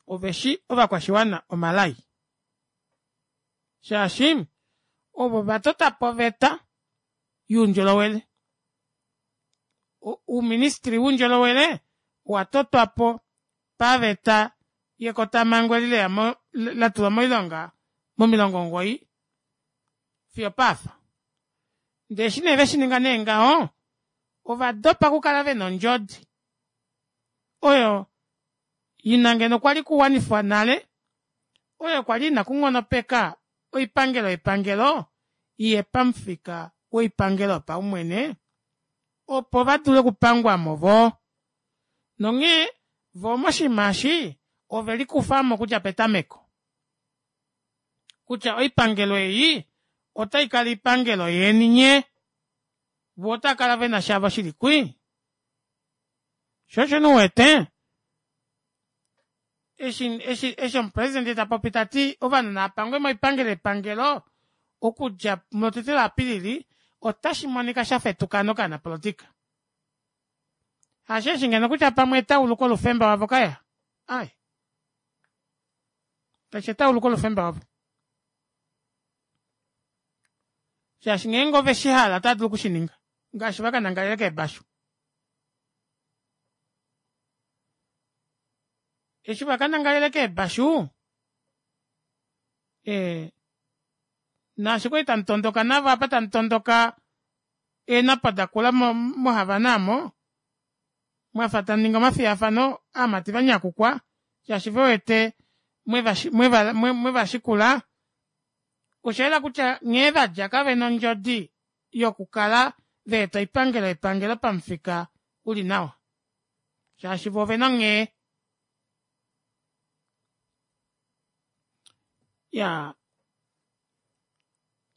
oveshi ovakwashiwana omalai. Shaashi ovo vatotapo oveta youndjolowele. Uuministry woundjolowele owatotwapo paveta yekotamango eli leyamo latulwa moilonga momilongo omugoyi fiyo opaafa. Ndee eshi nee veshininga nee ngaho ovadopa okukala vena ondjodi oyo ina ngeno kwali kuwanifwa nale oyo kwali ina kunghonopeka oipangelo yepangelo iye pamufika woipangelo yopaumwene opo vadule okupangwamo voo. Nonghee voo moshinima eshi ovelikufamo okudja petameko kutya oipangelo ei otaikala oipangelo yeni nyee voo otaakala vena shavo shili kwii. Shoo osho nee uwete eshi eshi eshi omupresident tapopi tati ovanhu naapangwe moipangelo yepangelo okudja mutete la Apilili otashi monika shafa etukano kovanapolotika. Hasheeshi ngeno kutya pamwe etauluko loufemba wavo kaya ai kaishi etauluko loufemba wavo shaashi ngeenge ove shi hala otava dulu okushininga ngaashi vakanangalele keebashu eshi vakanangalele keebashu ee naashi kwali tamu tondoka navo apa tamu tondoka eenhapo dakula moHavana aamo mwafa tamu ningi omafiyafano aamati vanyakukwa shaashi ve wete mweva shikula osha yela kutya nghee vadja kavena ondjodi yokukala vaeta oipangelo yepangelo pamufika uli nawa shaashi vo ovena onghee ya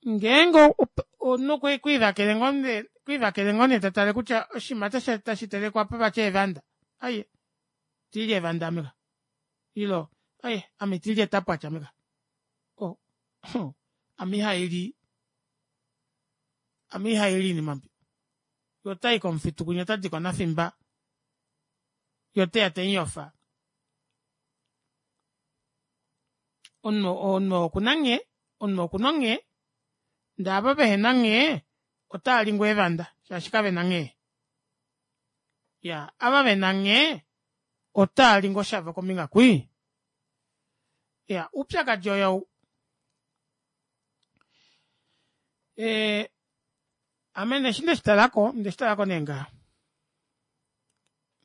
ngeenge omunhu okwiivakele ngoo nee okwiivakele ngoo nee tatale kutya oshinima tashi telekwa apa vati eevanda ai itiilye eevanda ame ka ilo ai ame itiilye etapwatya ame ka oh, ame ihaili ame ihaili iinima mbi ye otayi komufitu kwinya ota diko nafimba ye oteya temuyofa omunhu omunhu okuna nghee omunhu okuna onghee ndee ava vehena nghee otaa li ngoo eevanda shaashi kavena nghee ya ava vena nghee otaa li ngoo shavo kombinga kwii ya oupyakadi oyou ee ame nee eshi ndeshitalako ondeshitalako nee ngaha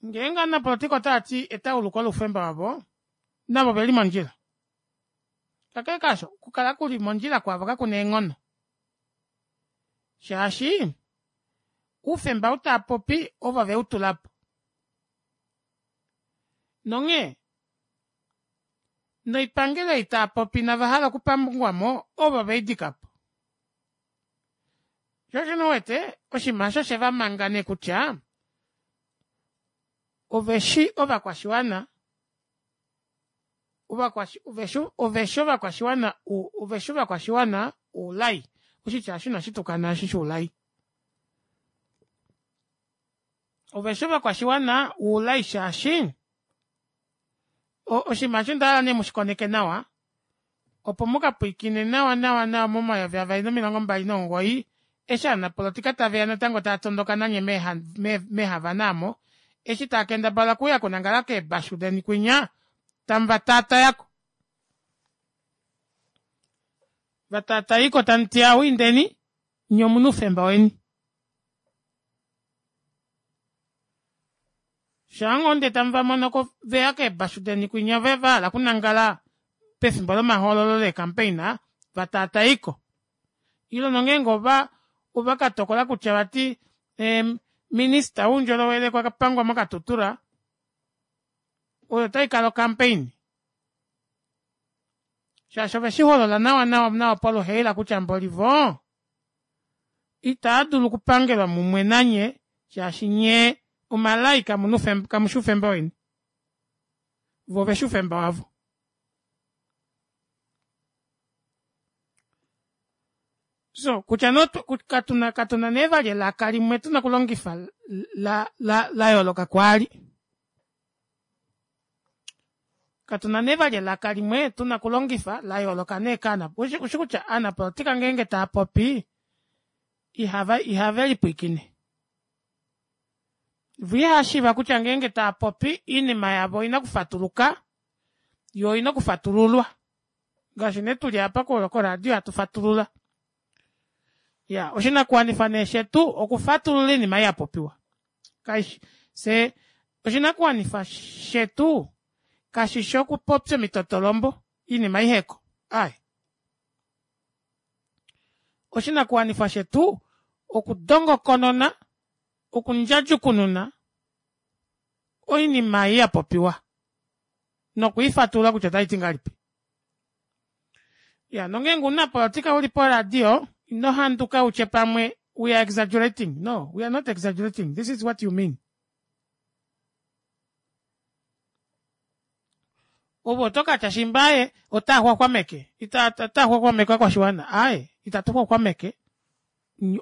ngeenge ovanapolotika otaati etauluko loufemba wavo navo oveli mondjila kakele kaasho okukala kuli mondjila kwavo kakuna eenghono shaashi oufemba ou taapopi ovo veutulapo nonghee noipangelo ei taapopi inava hala okupangwamo ovo veidikapo sho osho nee uwete oshinima osho osheva manga nee kutya oveshi ovakwashiwana oveshi ovakwashiwana oveshi ovakwashiwana oulai oshitya osho inashi tukana eshi shoulai oveshi ovakwashiwana oulai shaashi oshinima eshi onda hala nee mushikoneke nawa opo mukapwiikine nawa nawa nawa momayovi avali nomilongo mbali nomugoyi eshi ovanapolotika taveya natango tava tondoka nanye meehavana aamo eshi tava kendabala okuuya okunangala keebashu deni kwinya tamu va taatayako va taatayiko tamuti awu indeni nye omuna oufemba weni Shaa ngoo ndee tamu va mono ko veya keebashu deni kwinya va hala okunangala pefimbo lomahoololo leekampeina, va taataiko. Ile nongeenge ova ova ka tokola kutya vati em, Minista woundjolowele kwa pangwa moKatutura, oyo tai kala ocampaign shaashi ove shi holola nawa nawa nawa poluheila kutya mboli voo itaa dulu okupangelwa mumwe nanye shaashi nyee omalai kamushi oufemba weni vo oveshi oufemba wavo. So kutya no katuna katuna nee vali elaka limwe tuna okulongifa la la la yooloka kwaali. Katuna nee vali elaka limwe tuna okulongifa la yooloka nee kaana ushi kutya aanapolitika ngeenge taa popi ihava ihave lipwiikine. Vo ihava kutya ngeenge taa popi oinima yavo oina okufatuluka yo oina okufatululwa. Ngaashi nee tuli apa koradio hatu fatulula. Ya oshinakuwanifwa nee shetu okufatulula oinima ei yapopiwa. Kaishi fye oshinakuwanifwa shetu kashishi okupopya omitotolombo oinima iheko aaye. Oshinakuwanifwa shetu okudongokonona okundjadjukununa oinima ei yapopiwa nokwiifatulula kutya otaiti ngahelipi. Ya nongeenge omunapolitika uli poradio ino handuka utye pamwe we are exaggerating. No, we are not exaggerating. This is what you mean. Ove oto katya shimba aye otaa xwaxwameke. Ita ota xwaxwameke ovakwashiwana. Aaye, itatu xwaxwameke.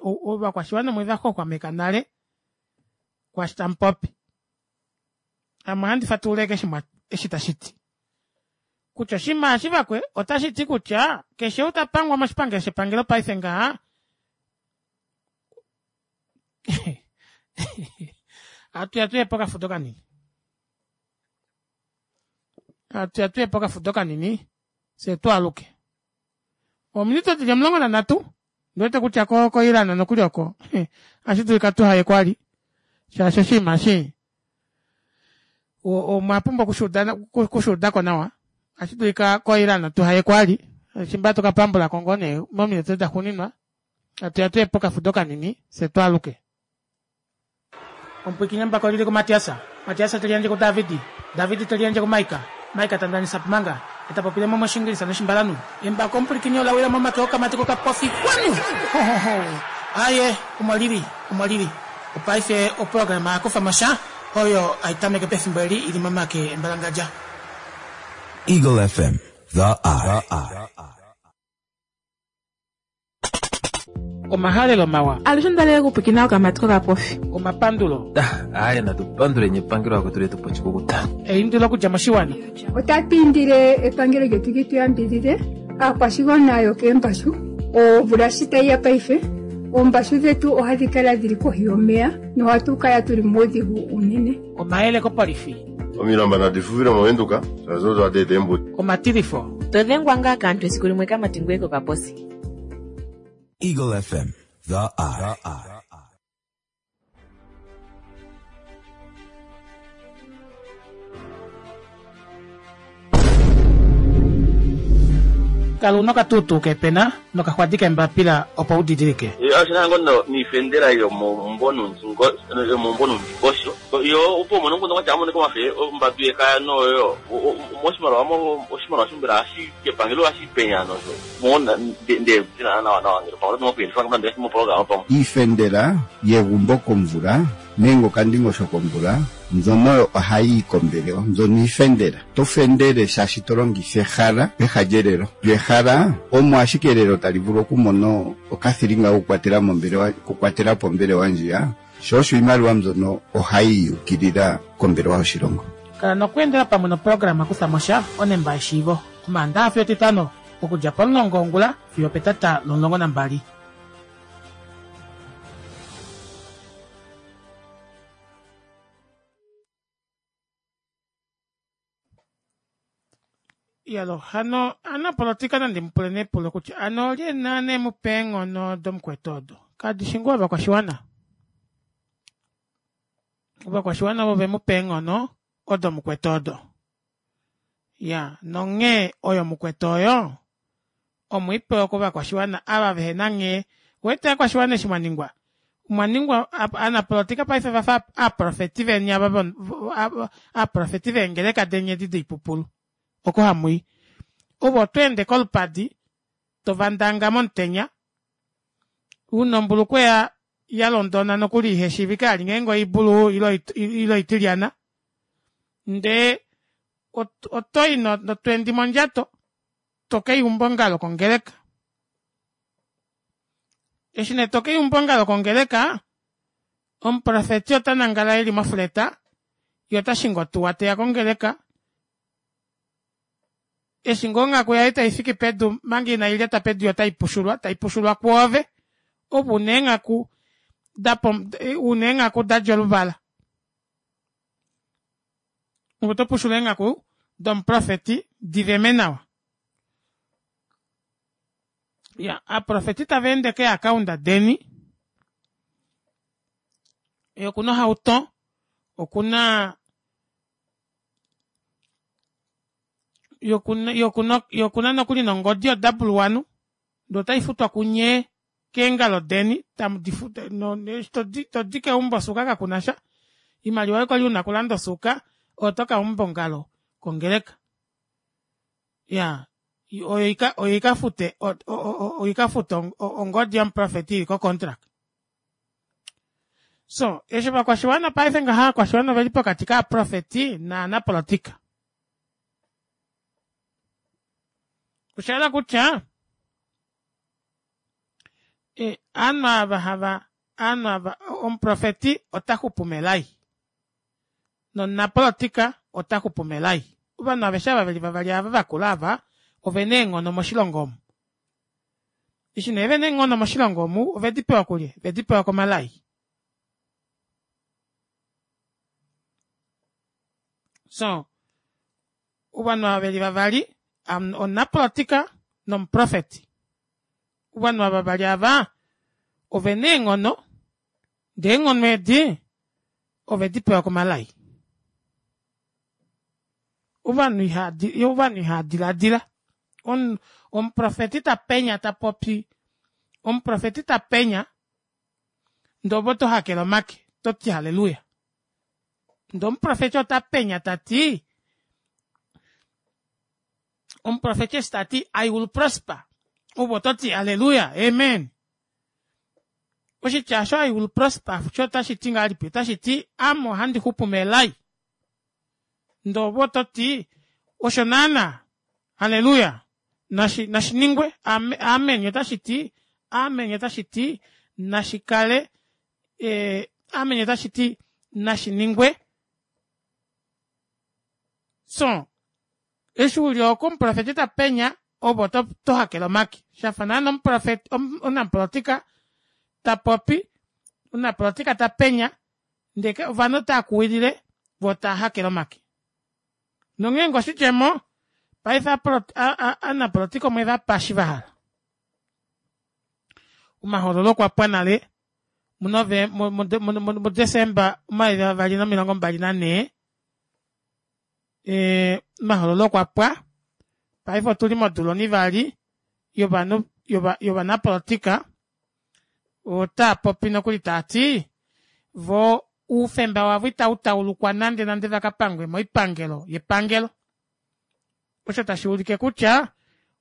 Ovakwashiwana omwe va xwaxwameka nale kwaashi tamu popi. Ame ohandi fatulula ashike eshi tashi ti. Kutya oshinima eshi vakwe otashi ti kutya keshe ou ta pangwa moshipangelo shepangelo paife ngaha atuya tuye pokafudo kanini. Atuya tuye pokafudo kanini fye twaaluke. Ominute dili 13 ndiwete kutya ko koIran nokuli oko ohashi dulika tuhaye kwali shaashi oshinima eshi omwa pumbwa okushuudako nawa. Ohashi dulika koIran tuhaye kwali shimba tukapambulako ngoo nee mominute daxuuninwa atuya tuye pokafudo kanini fye twaaluke. Omupwiikini embako olili kuMatias, Matias te liyandje kuDavid, David te liyandje kuMaika, Maika ta ndanisa pmanga, e ta popile mo mOshiingilisa nOshimbalanhu. Embako omupwilikini ola wila momake okamati kokapofi kwanu! Hohoho! Aaye, omo li li, omo li li. Opaife oprograma ya kufa mo sha, oyo hai tameke pefimbo eli i li momake embalangadja. Eagle FM, the eye. Omahalelo mawa. Alushe onda lele okupwikina okamati kokapofi. Omapandulo. Aaye natu panduleni epangelo akwetu letu po oshikukuta. Eindilo okudja moshiwana. Otatu indile epangelo lyetu li tu yambidhidhe aakwashigwana yokeembashu. Omvula shi tayi ya paife, oombashu dhetu ohadhi kala dhili kohi yomeya nohatu kala tuli muudhigu uunene. Omayele kopolifi. Omilamba nadi fufile moVenduka shaashi odo hadi eta eembudi. Omatilifo. To dhengwa ngaa kaantu esiku limwe kamati ngoye kokaposi. Eagle FM, the eye. Kala una okatuutuu kepena nokaxwadi kembapila opo u didilike. Oshina ngo niifendela yomomumbo nuundingosho yo opo umone omukundu kwatya amoneka omafe ombadu yekaya noyo moshimaliwa oshimaliwa shombela hashi kepangelo hashi penya nosho mona nde nawa nawa ngele pamwe oto mokuyendifa ngamba ndele moprograma pamwe Iifendela yegumbo komvula nenge okandingosho komvula mbyono oyo ohayi yi kombelewa mbyono iifendela. To fendele shaashi to longitha ehala peha lyelelo. Lyo ehala omo ashike elelo tali vulu okumona okathilinga kokukwatela mombelewa okukwatela po ombelewa ndjiya, sho osho iimaliwa mbyono ohayi yukilila kombelewa yoshilongo. Kala nokweendela pamwe noprograma Kutha mo sha, Onemba yeshiivo, Omaandaha fiyo Etitano, okudja pomulongo wongula fiyo opetata lomulongo nambali. Iyalo hano aanapolotika nandi mu pule nepulo kutya ano olye naana e mu pa eenghono domukwetu odo? Kadi shi ngoo ovakwashiwana? Ovakwashiwana ovo ve mu pa eenghono odo mukwetu odo. Ya, nonghee oyo mukwetu oyo omwe i pewa kovakwashiwana ava vehe na nghee. Wete ovakwashiwana eshi mwa ningwa? Omwa ningwa ovanapolotika paife vafa aaprofeti veni ava aaprofeti veengeleka deni edi doipupulu oko hamui. Ove oto ende kolupadi tovandanga momutenya una ombulukweya yalondona nokuli iheshiivike vali ngeenge oibulu ile oitilyana ndee otoyi notwendi mondjato tokeyumba ongalo kongeleka eshi nee tokeyumba ongalo kongeleka omuprofeti otanangala eli mofleta yee otashingi otuwa teya kongeleka eshi ngoo onghaku yaye taifiki pedu omanga inailyata pedu yoo otaipushulwa taipushulwa kwoove ove una eenghaku una eenghaku dadja oluvala ove oto pushula eenghaku domuprofeti diveme nawa iya aaprofeti tavaende kee account deni yee okuna ohauto okuna yee okuna nokuli nongodi yo double one ndee otaifutwa kunyee keengalo deni eshi todi keumbo osuuka kakunasha oimaliwa oyo kwali una okulanda osuuka oyo tokaumba ongalo kongeleka iyaa oyo ikafute oikafute ongodi yomuprofeti ili ko contract so eshi ovakwashiwana paife ngaha ovakwashiwana oveli pokati kaaprofeti naanapolotika oshahala kutya ovanhu ava hava ovanhu ava omuprofeti ota xupu melai nomunapolotika ota xupu melai ovanhu aveshe ava veli vavali ava vakula ava ovena eenghono moshilongo omu eshi nee vena eenghono moshilongo omu ovedi pewa kulye ovedi pewa komalai so ovanhu ava veli vavali omunapolotika nomuprofeti ovanhu ava vavali ava ovena eenghono ndee eenghono edi ovedi pewa komalai ovanhu ovanhu ihava diladila omuprofeti tapenya tapopi omuprofeti tapenya ndee ove oto hakele omake toti halleluya ndee omuprofeti ota penya tati omuprofeti eshi tati i will prosper ove ototi halleluya amen oshitya osho i will prosper sho otashiti ngahelipi otashiti ame ohandi xupu melai ndee ove ototi osho naana halleluya nashi nashiningwe amen otashiti amen otashiti nashikale eh, amen otashiti nashiningwe so eshi uli oko omuprofeti ta penya ove oto to hakele omake shafa naana omuprofeti omunapolotika ta popi omunapolotika ta penya ndee ovanhu otava kuwilile voo tava hakele omake nonghee ngo oshidjemo paife ovanapolotika omwe vapa eshi vahala omahoololo okwa pwa nale muDesemba 2024 omahoololo okwa pwa paife otuli modula onivali yovanhu yovanapolotika otaa popi nokuli taati vo oufemba wavo itau taulukwa nande nande vakapangwe moipangelo yepangelo osho tashi ulike kutya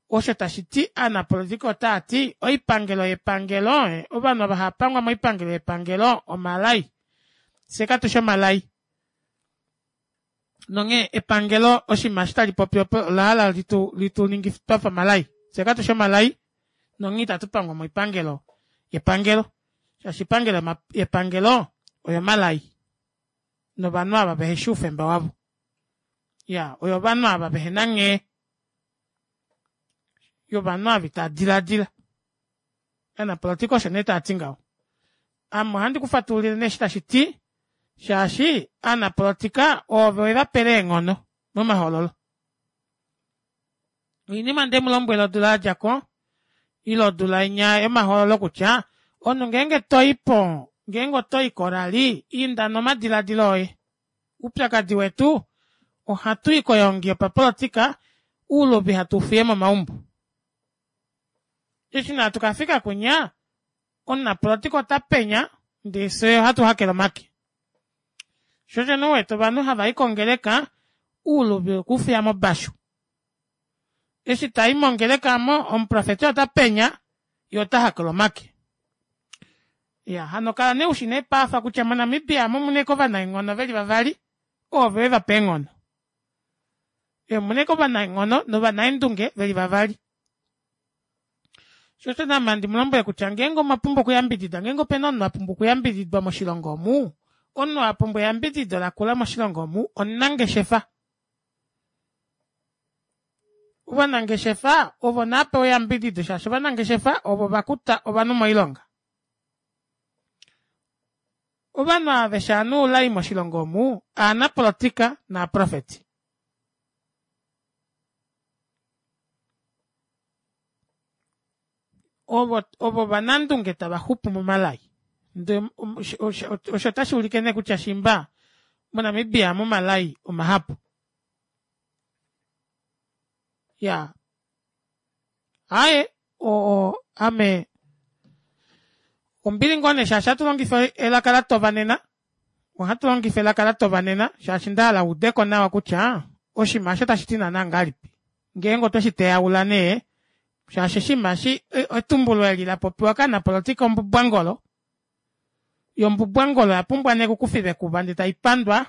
osho tashi ti aanapolitika otaa ti oipangelo yepangelo ovanhu ava hava pangwa moipangelo yepangelo omalai fye katushi omalai nonghee epangelo oshinima eshi tali popi opo ola hala litu litu ningife twafa omalai fye katushi omalai nonghee itatu pangwa moipangelo yepangelo shaashi oipangelo yepangelo oyomalai novanhu ava veheshi oufemba wavo ya oyo ovanhu ava vehena nghee yovanhu ava itava diladila Ovanapolotika osho nee tava ti ngaho. Ame ohandi ku fatululile nee eshi tashi ti, shaashi aanapolotika oove we va pele eenghono momahoololo. Oinima nde mu lombwela odula ya dja ko, ile odula inya yomahoololo kutya, omunhu ngeenge to i po, ngeenge oto i korali, inda nomadiladilo oye. Oupyakadi wetu, ohatu i koyoongi yopapolotika, ouluvi hatu u fiye momaumbo. Eshi nee hatu ka fika kwinya, omunapolotika ota penya Ndee fye ohatu hakele omake. Sho osho nee u wete ovanhu hava i kongeleka ouluvi wekufiya mobashu. Eshi ta i mongeleka omo omuprofeti ota penya ye ota hakelwa omake. Iya hano kala nee ushi nee paafa kutya moNamibia omu muna ashike ovanaenghono veli vavali ovo ve va pa eenghono. Omuna ashike ovanaenghono novanaendunge veli vavali. Sho osho naame handi mu lombwele kutya ngeenge omwa pumbwa okuyambidida, ngeenge opena omunhu a pumbwa okuyambididwa moshilongo omu, omunhu a pumbwa eyambidido lakula moshilongo omu omunangeshefa. Ovanangeshefa ovo naa pewe eyambidido shaashi ovanangeshefa ovo va kuta ovanhu moilonga. Ovanhu aveshe ava oulai moshilongo omu aanapolitika naaprofeti. Ovo ovo ovanandunge tava xupu momalai. Ndee osho otashi ulike nee kutya shimba moNamibia amu omalai omahapu. Ya aaye o ame ombili ngoo nee shaashi ohatu longifa elaka latova nena ohatu longifa elaka latova nena shaashi ndahala uudeko nawa kutya oshinima osho otashi ti naana ngahelipi ngeenge otwe shi teyaula nee shaashi oshinima eshi etumbulo eli la popiwa kaanapolitika ombubwangolo yo ombubwangolo oya pumbwa nee okukufilwa ekuva ndee tai pandwa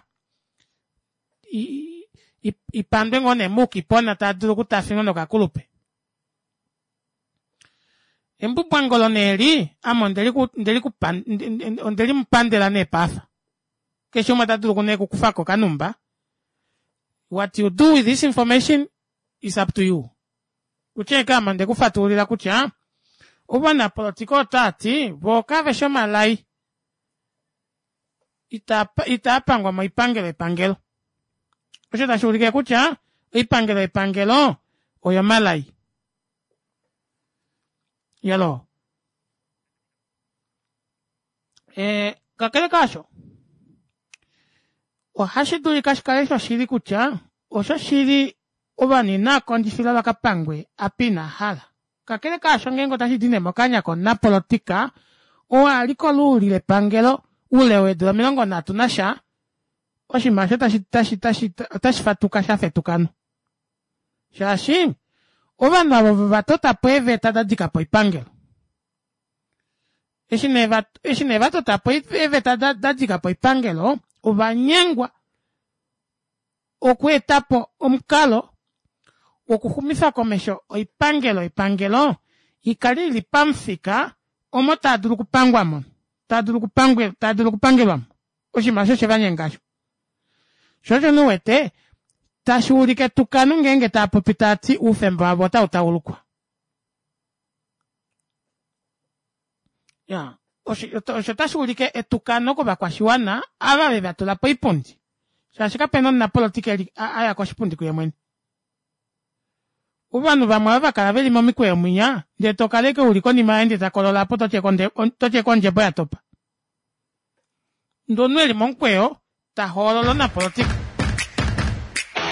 ipandwe ngoo nee muukipona taa dulu okutafinwa nokakulupe. Embubwangolo nee eli ame ondeli mu pandela nee paafa. Keshe umwe ota dulu nee okukufako okanumba. What you do with this information is up to you. Kutya eke ame onde ku fatululila kutya ovanapolotika otaa ti voo kave shi omalai itaa pangwa moipangelo yepangelo. Osho tashi ulike kutya oipangelo yepangelo oyomalai. Yalo. E, kakele kaasho, ohashi dulika shi kale shoshili kutya oshoshili ovanhu inaa kondjifilwa va ka pangwe apa ina hala. Kakele kaasho ngeenge otashi di nee mokanya komunapolotika oo a li koluuli lepangelo oule weedula 30 nasha, oshinima osho tashi tashi tashi otashi fatuka sha fa etukano. Shaashi ovanhu avo ovo va tota po eeveta da dika po oipangelo. Eshi nee va eshi nee va tota po eeveta da da dika po oipangelo, ova nyengwa okweeta po omukalo wokuxumifa komesho oipangelo yepangelo i kale i li pamufika omo taa dulu okupangwa mo, taa dulu okupangwe, taa dulu okupangelwa mo. Oshinima osho oshe va nyenga osho. Sho osho nee u wete tashi ulike etukano ngeenge taa popi taa ti oufemba wavo otau taulukwa. Ya, osho otashi ulike etukano kovakwashiwana ava ve va tula poipundi shaashi kapena omunapolotika eli a ya koshipundi kuye mwene. Ovanhu vamwe ava va kala veli momikweyo mwinya ndee to kala ashike uli konima yaye ndee ta kolola apo toti eke ondjebo ya topa. Ndee omunhu eli momukweyo ta hoolola omunapolotika.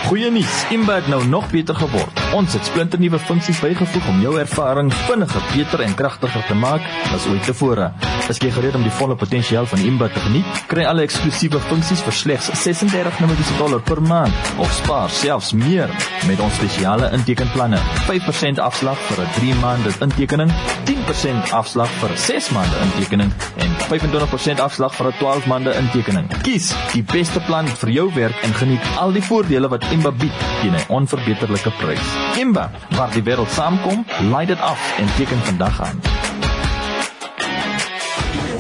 Goeie nuus, Imba het nou nog beter geword. Ons het splinternuwe funksies bygevoeg om jou ervaring vinniger, beter en kragtiger te maak as ooit tevore. Is jy gereed om die volle potensiaal van Imba te geniet? Kry alle eksklusiewe funksies vir slegs 36 Namibiese dollar per maand of spaar selfs meer met ons spesiale intekenplanne. 5% afslag vir 'n 3 maande intekening, 10% afslag vir 'n 6 maande intekening en 25% afslag vir 'n 12 maande intekening. Kies die beste plan vir jou werk en geniet al die voordele wat Imba bied teen 'n onverbeterlike prys. Imba, waar die wêreld saamkom, laai dit af en teken vandag aan.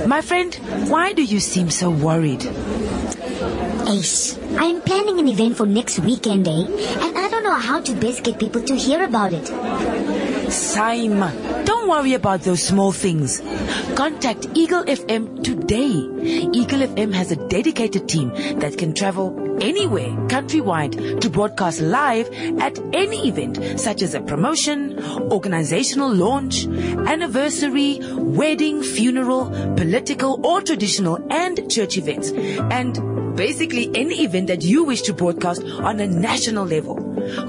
My friend, why do you seem so worried? Ace, I'm planning an event for next weekend, eh? And I don't know how to best get people to hear about it. Saima, don't worry about those small things. Contact Eagle FM today. Eagle FM has a dedicated team that can travel anywhere countrywide to broadcast live at any event such as a promotion, organizational launch, anniversary, wedding, funeral, political or traditional and church events. And basically any event that you wish to broadcast on a national level.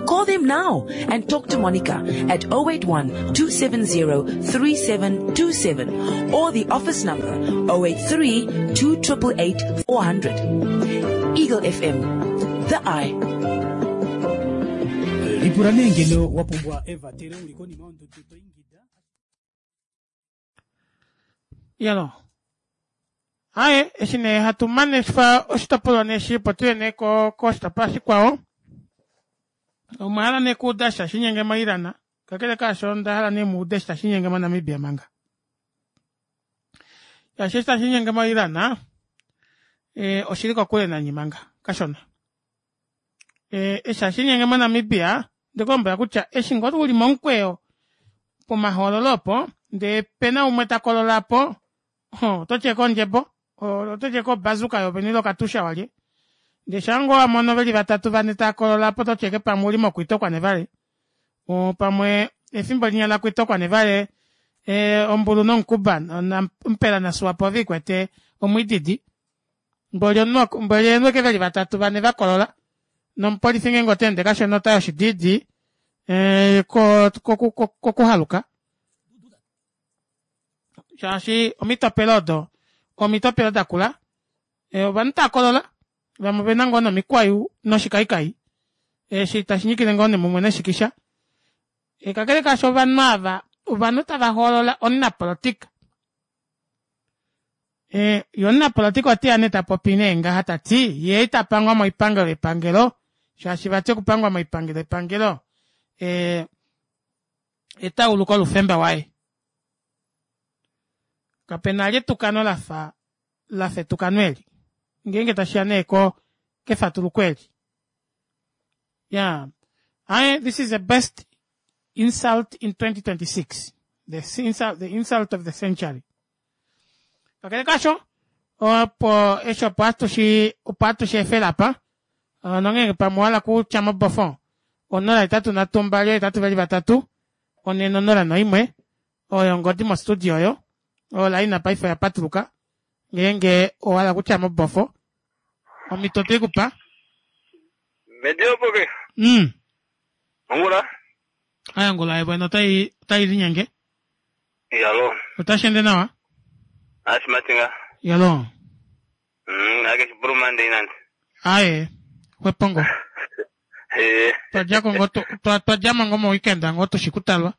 Call them now and talk to Monica at 081 270 3727 or the office number 083 2888 400. Eagle FM, the eye. Lipula nee ngeno wa pumbwa evatelo uli konima yondudu to ingida. Yalo. Aye, eshi nee hatu manefa oshitopolwa nee eshi opo tuye nee ko koshitopolwa shikwao. Omwa hala nee kuuda sha shinyenge moIran, kakele kaasho onda hala nee muude sha shinyenge moNamibia manga. Shaashi eshi tashi nyenge moIran, eh, oshili kokule nanye manga, kashona. Eh, eshi tashi nyenge moNamibia, ndikulombwela kutya eshi ngoo uli momukweyo pomahoololo opo, ndee pena umwe ta kolola po, oto tye kondjebo, oto tye kobazuka yovene ile okatusha walye. Ndee shaa ngoo wa mono veli vatatu vane tava kolola po, oto tye ke pamwe uli mokwitokwa nevale. Pamwe efimbo linya la kwitokwa nevale, ombulu nomukuba, mpela naSwapo ove ikwete omwiididi. Mboli omunhu, mboli eenhu eke veli vatatu vane va kolola. Nomupolifi ngeenge ota ende kashona ota yoshidiidi, kokuhaluka. Shaashi omitopelo odo omitopelo da kula, ovanhu tava kolola, vamwe ovena ngoo nomikwayu noshikaikai, eshi tashi nyikile ngoo nemumwe neshikisha. Kakele kaasho ovanhu ava, ovanhu tava hoolola omunapolitika. Ye omunapolitika oteya nee ta popi nee ngaha ta ti, ye ita pangwa moipangelo yepangelo, shaashi vati okupangwa moipangelo yepangelo etauluko loufemba waye. Kape na li etukano lafa lafa etukano eli ngeenge tashiya nee ko kefatuluko eli. Yeah. I, this is the best insult in 2026. The insult, the insult of the century. Kakele kasho, opo eshi opo atushi opo atushi efela apa, nongeenge pamwe owa hala kutya mobofo, 083 283 401 oyo ongodi mostudio oyo, olaina paife oya patuluka, ngeenge owa hala kutya mobofo, omhito otwe ku pa. Mediopoke. Ongula. Aya ongula yevwene otai otai linyenge. Yalo. Otashi ende nawa? Ashi matinga. Yalo. Ake shipurumande inandi. Aye, xwepongo. Eh. Twadjako ngo twadjamo ngo moweekend ngo tushikutalwa.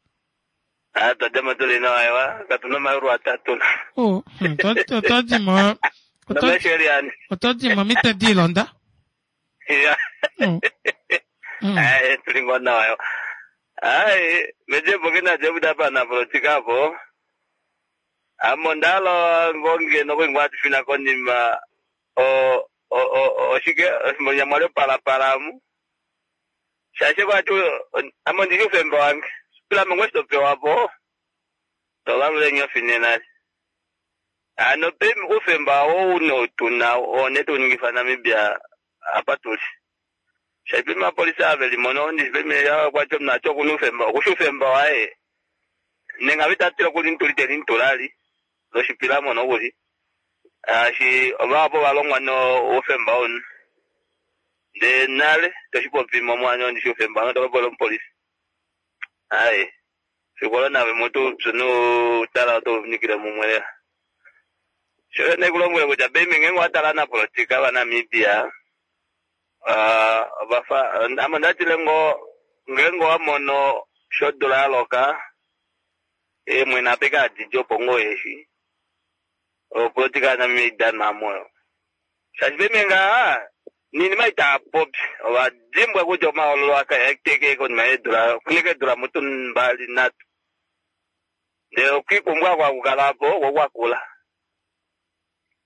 Ah, twadjamo tuli nawa ewa, katuna omayulu atatu. Oh, otwadimo otwadimo omitwe diilonda. Ya. Aye, tuli ngo nawa ewa. Aye, mejepo kina jebuda pa na politika apo. Amo ndalo ngonge nokuingwa tufina konima o o oshike monyamwali opalapalamu. Shashe kwati amo ndili ufemba wange. Pila mongwe sitopewa po. Tovalule nyofi nena. Ano pe ufemba wo uno tuna one tuningifa Namibia apa tuli. Shaipe mapolisa ave limono ndi peme ya kwacho mnacho kunu ufemba kushu ufemba wae. Nenga vitatira kuli ntuli teli ntulali. Loshipila mono kuli. Ashi ovapo valongwa no ufemba onu. De nale toshipopi momwanyo ndi ufemba no tokapola omupolisi. Aye. Fikola nave mutu sunu tala to nikile mumwe. Sho ne kulombwela kutya bemi ngenge watala na politika va Namibia. Vafa amo ndatile ngo ngenge wamono shodula yaloka mwene apeka adidi opo ngoo eshi. Opolitika ya Namibia idanwa moyo. Shaashi peme ngaha ninima itapopi ovadimbwa kutya omahoololo akateke konima yeedula kunika eedula mutu 23. Ndele okwikumbwa kwakukala po kokwakula.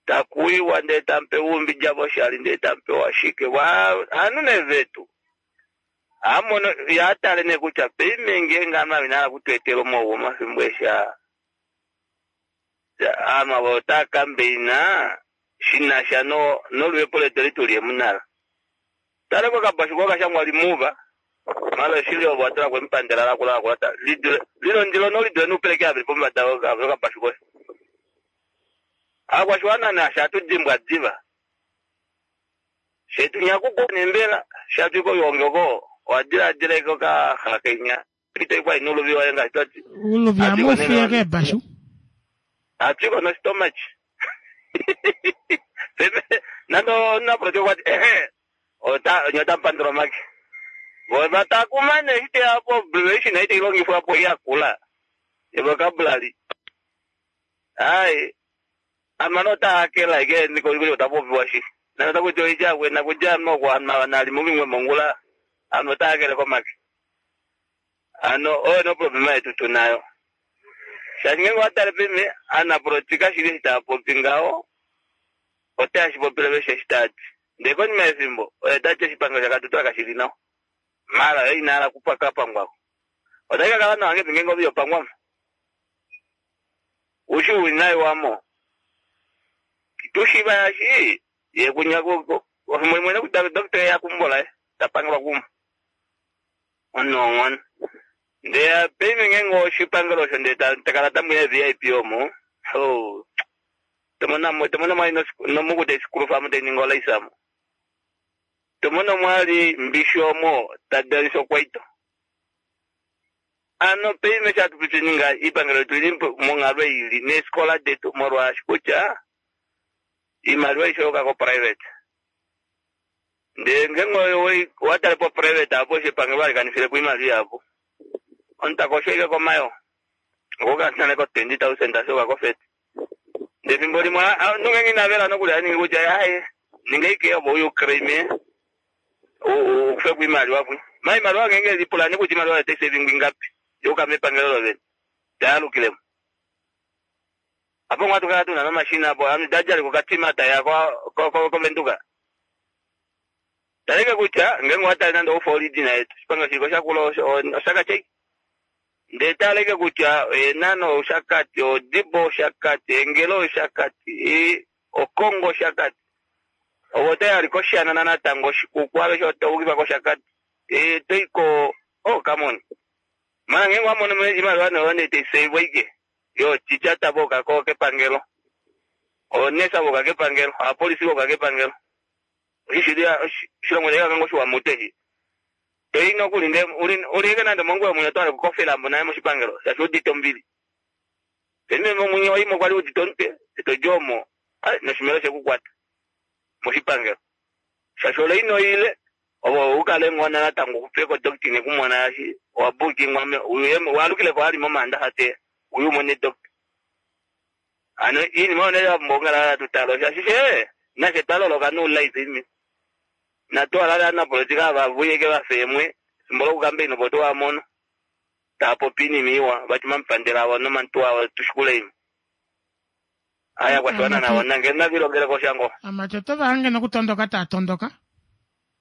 Takuiwa ndee tampe umbidja voshali ndee tampewa shike anu nevetu. Amono yatale ne kutya peime ngeenge anu avinala kutwetela omauwa omafimbo esha. Anu avo otaa kambeina shinasha no noluhepo letu litulie munala. Tale ko kabashu ko kashangwa limuva. Malo shili ovo atula kwe mpandela la kula kula ta. Lidule lilo ndilo no lidule nupeleke avili pombada ko kabashu ko. Akwashiwana na shatu dimbwa diva. Shetu nyakuko nembela shatu ko yongoko Owa diladila ike okahala kenya. Ito kwa ino uluvi waye ngaashi twati. Uluvi amufiye keebashu. Atwiko no stomach. Nando napolitika okwati ehe ota nyota mpandula omake. Vo vatakuma nee eshi teya po abbreviation ite ilongifwa po yakula. Vocabulary. Ai amano ota hakela ike niko iko ota popiwa shi. Nando takuti oija kwena kuja mo kwa nali mumwe mongula. Ano ota hakele komake. Ano oyo no problema yetu tunayo. Shaashi ngenge watale peme anapolitika shili eshi taapopi ngaho ote shi popile veshe eshi taati. Ndee konima yefimbo oye tati oshipangelo shaKatutura kashili nawa. Mara yo inahala kupakapangwako. Otai kakala nawa ngepi ngenge ovi yopangwamo. Ushi uwinayi wamo. Tushiva yashi ye kunya ofimbo imwe nekuti doctor yakumbola tapangelwa kumo. Onong'ono. Ndee peme ngenge oshipangelo osho ndee takala tamuya VIP omo. Oh. Tomona tomona mwali nomukuta esikulufa amo taininga olaisamo. Tomona mwali mbishi omo tadalisa okwaito. Ano peme shatupichininga ipangelo letu lili monghalo ili neefikola detu molwaashi kutya iimaliwa ishoyoka ko private. Ndee ngenge watale po private apo osho epangelo alikanifile po iimaliwa yapo. Omuntu takosho komayo. Okukala ko 20,000 ashoka ko 30. Ndee fimbo limwe nongenge inavela nokuli aningi kutya aye ninga ike opo uye uclaim ukufe kuimaliwa pwi. Ma imaliwa ngenge lipulani kuti imaliwa tax saving ingapi yoka mepangelo lovene. Tayalukilemo. Apo ngwatu kala tuna nomashina apo ami dajali kukatima taya kwa kovenduka. Taleke kutya ngenge watali nando ufa origina yetu. Shipanga shiko shakula oshaka chei. Ndee taleke kutya Eenhana Oshakati, Odibo Oshakati, Engela Oshakati, Okongo Oshakati. Ovo tayali kOshana natango Oshikuku aveshe otaukifa kOshakati. Toiko oh come on. Mana ngenge wamono imaliwa noyo nee taisavwa ike. Yo chichata voka ko kepangelo. Onesa voka kepangelo, apolisi voka kepangelo. Ishilia shilongo leka kango shiwa mutehi. Toyi nokuli nde ulike nande monguwe mwenye twale kukofela mbo naye moshipangelo. Shashi udite ombili. Peme mwenye waimo kwali udite omutwe, eto jomo. Ai noshimelo shekukwata. Moshipangelo. Shashi ole ino ile opo ukale ngona natango kupeko doctor nekumona yashi wabooking wame walukile kwa ali momanda hate uyu mone doctor. Ano iinima oyo ya mbongala tutalo shashi she nashe twaloloka nuulaizi imi. Natwalala anapolitika vavuyeke vafemwe fimbo lokukambaini opo twamono. Taapopi iinima iwa vati mampandela avo nomantu avo tushikule imi. Aya kwashiwana navo nange navilongeleko shango. Amati oto vahange nokutondoka taatondoka.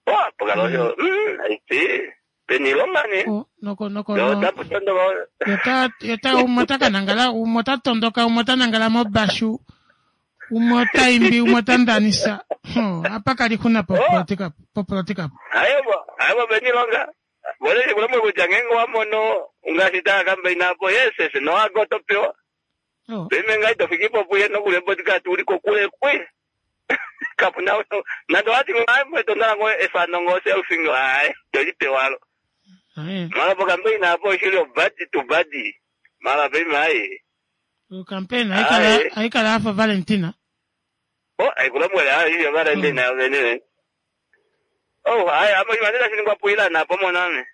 Oh, pokala osho. Aiti. Peni ilonga ne. Noko noko. Yo taputondoka. Yota yota umwe ota kanangala, umwe ota tondoka, umwe ota nangala mobashu. Umwe ota imbi, umwe ota ndanisa. Apa kali kuna popolitika popolitika. Ayebo, ayebo peni ilonga. Bole kulemwe kutya ngenge wamono ngaashi taya kambaina apo yes yes no agotopewa. Peme ngai tofikipo puye nokule bodyguard uli kokule kwe. Kapuna nando wati ngai tondala ngo efano ngo selfie ngo ai tolipewalo. Mara po kambaina apo shili badi to badi. Mara peme ai. O campaign aikala aikala afa Valentina. Oh, ai kulemwe ai iyo Valentina yo Oh, ai amo imanela shiningwa puila na po moname.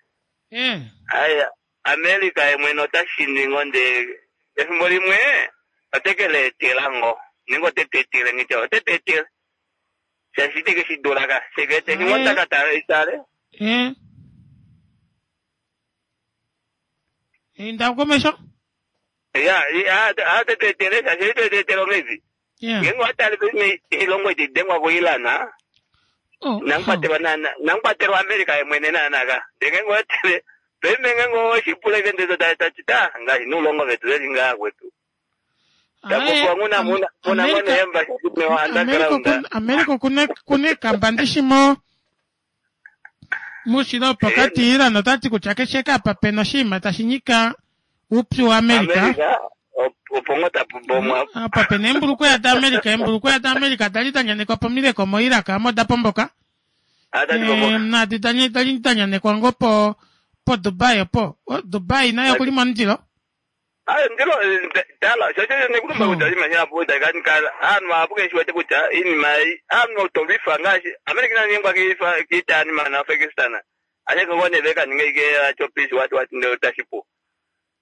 Ai America yemwene otashiningo nde efimbo limwe otekele etela ngo ningo otetetele ngitya otetetele shashi iteke shidula ka shekete ningo otakatale itale. Inda komesho. Ya atetetele shashi itetetele ongezi. Ngenge watale pime ilongo itidengwa kuilana. Nankwatelwa nana nankwatelwa America yemwene nanaka ndenge watale peme ngenge oshipula ivendezo tatita ngaashi nuulongo vetu veli ngaa kwetu. Tapopiwa nguna muna muna ngone embassy mewa underground. America kune kamba ndishimo mushilo pokati Iran otati kutya keshe kapa pena oshinima tashi nyika uupyu wa America. America opo ngo tapubomwa. Apa pena eembulukweya da America, eembulukweya da America dali da nyanekwa pomileko mo Iraq amo da pomboka. Nadi danyanekwa ngoo po poDubai opo. Dubai naye okuli momundilo. Ayo ndilo tala sho sho nekulumba kutya oshinima shihapu itashi ka kala aanhu vahapu keshi wete kutya iinima ei aanhu to lwifa ngaashi America ina nyengwa kiifa kiita yanima naAfghanistan ashike ngoo nee veka ninga ike acho peace what what ndele otashi pu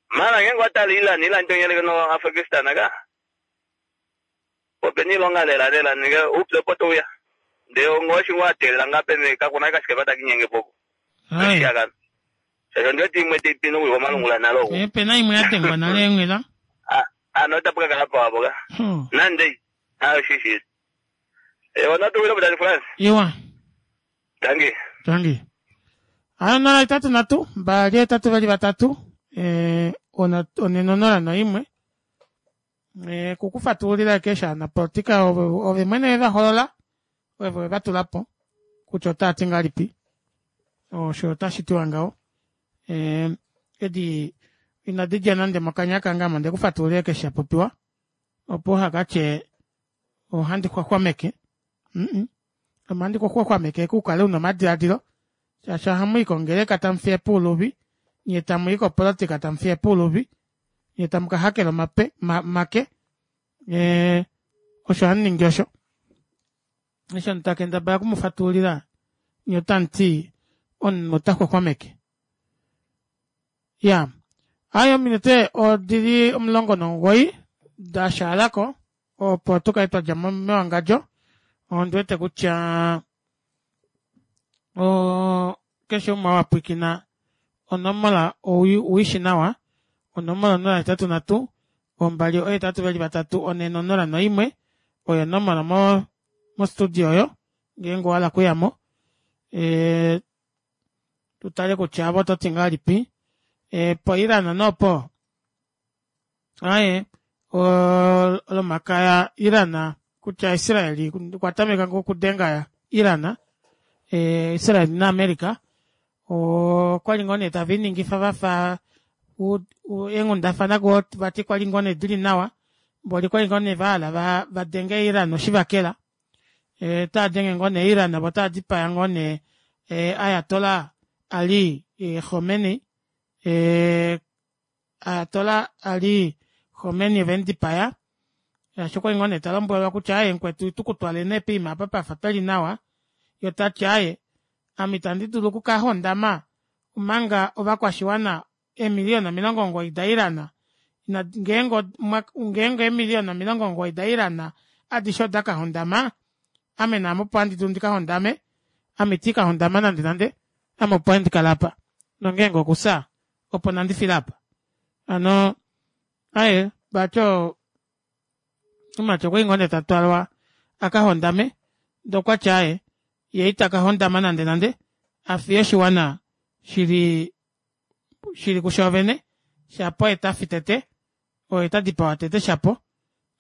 mara ngeenge watala Iran Iran tonyeleke no Afghanistan ka opena iilonga lela lela ninge oupyu opo touya ndele ongoshi ngoo ateelela ngaa pene kakuna kashikepa takinyenge po oshiyagano shaashi ondi wete imwe tai pini okuya komalungula nale oku Eh, pena imwe ya dengwa nale onghela. Ano otapu ka kala pawa poka nande ayo shishi ona tuwile putati France Iwa. Tangi. Tangi. Ayo 0 8 3 2 8 2 3 4 0 1. Eh, kukufatululila kesha anapolitika ove, ove mwene ve va holola ove ve va tula po kutya otaa ti ngahelipi osho otashi tiwa ngaho eh, edi inadi dja nande mokanya kange ame onde ku fatululila keshe sha popiwa opo uha ka tye ohandi xwaxwameke mm -mm. Ame ohandi ku xwaxwameke ku kale una omadiladilo shaashi ohamu i kongeleka tamu fiye puuluvi nye tamu i kopolotika tamu fiye puuluvi nye tamu ka hakela omape ma, make e, osho hamu ningi osho eshi omuntu ta kendabala oku mu fatululila nye otamu ti omunhu ota xwaxwameke ya aye ominute odili 19 da shaalako opo tu kale twa dja mo mewangadjo ondi wete kutya o keshe umwe wa pwiikina onomola owi shi nawa onomola 083 2 8 2 3 4 0 1 oyo onomola mo mostudio oyo ngeenge owa hala okuyamo e, tu tale kutya avo oto ti ngahelipi e, poIran nopo aye olomakaya Iran kutya Israel okwa tameka ngoo okudenga Iran e, Israel naAmerica okwali ngoo nee tave iningifa vafa eenghundafana ngoo vati kwali ngoo nee dili nawa mboli kwali ngoo nee vahala va denge Iran oshivakela e, taa denge ngoo nee Iran vo taa dipaya ngoo nee e, Ayatollah Ali e, Khomeini e, Ayatollah Ali Khomeini ve mu dipaya shaashi okwali ngoo nee ta lombwelwa kutya aye mukwetu itu ku twale nee poima apa pafa peli nawa ye ota ti aye ame itandi dulu oku ka hondama omanga ovakwashiwana eemiliyona 90 daIran ina ngeenge ngeenge eemiliyona 90 daIran adishe oda ka hondama ame naame opo handi dulu ndi ka hondame ame iti ka hondama nande nande ame opo handi kala apa nongeenge okufya opo nandi file apa ano aye vati omumati okwa ngoo nee ta twalwa a ka hondame ndee okwa tya aye ye ita ka hondama nande nande a fiye oshiwana shili shili kushoovene shapo oye ta fi tete oye ta dipawa tete shapo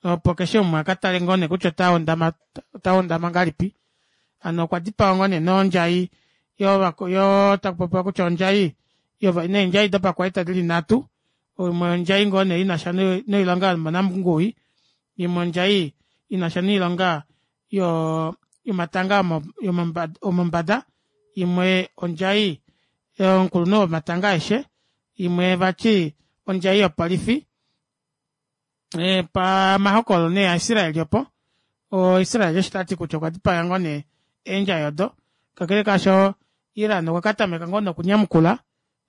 opo keshe umwe a ka tale ngoo nee kutya ota hondama ota hondama ngahelipi ano okwa dipawa ngoo nee nondjai yo yo taku popiwa kutya ondjai neendjai dopakwaita dili nhatu imwe ondjai ngoo nee inasha noilonga yomonanguwi imwe ondjai inasha noilonga yo yomatanga omombada imwe ondjai omukulunhu womatanga aeshe imwe vati ondjai yopolifi e, pamahokololo nee aIsraeli opo oIsrael osho tati kutya okwa dipaga ngoo nee eendjai odo kakele kaasho Iran okwa ka tameka ngoo nokunyamukula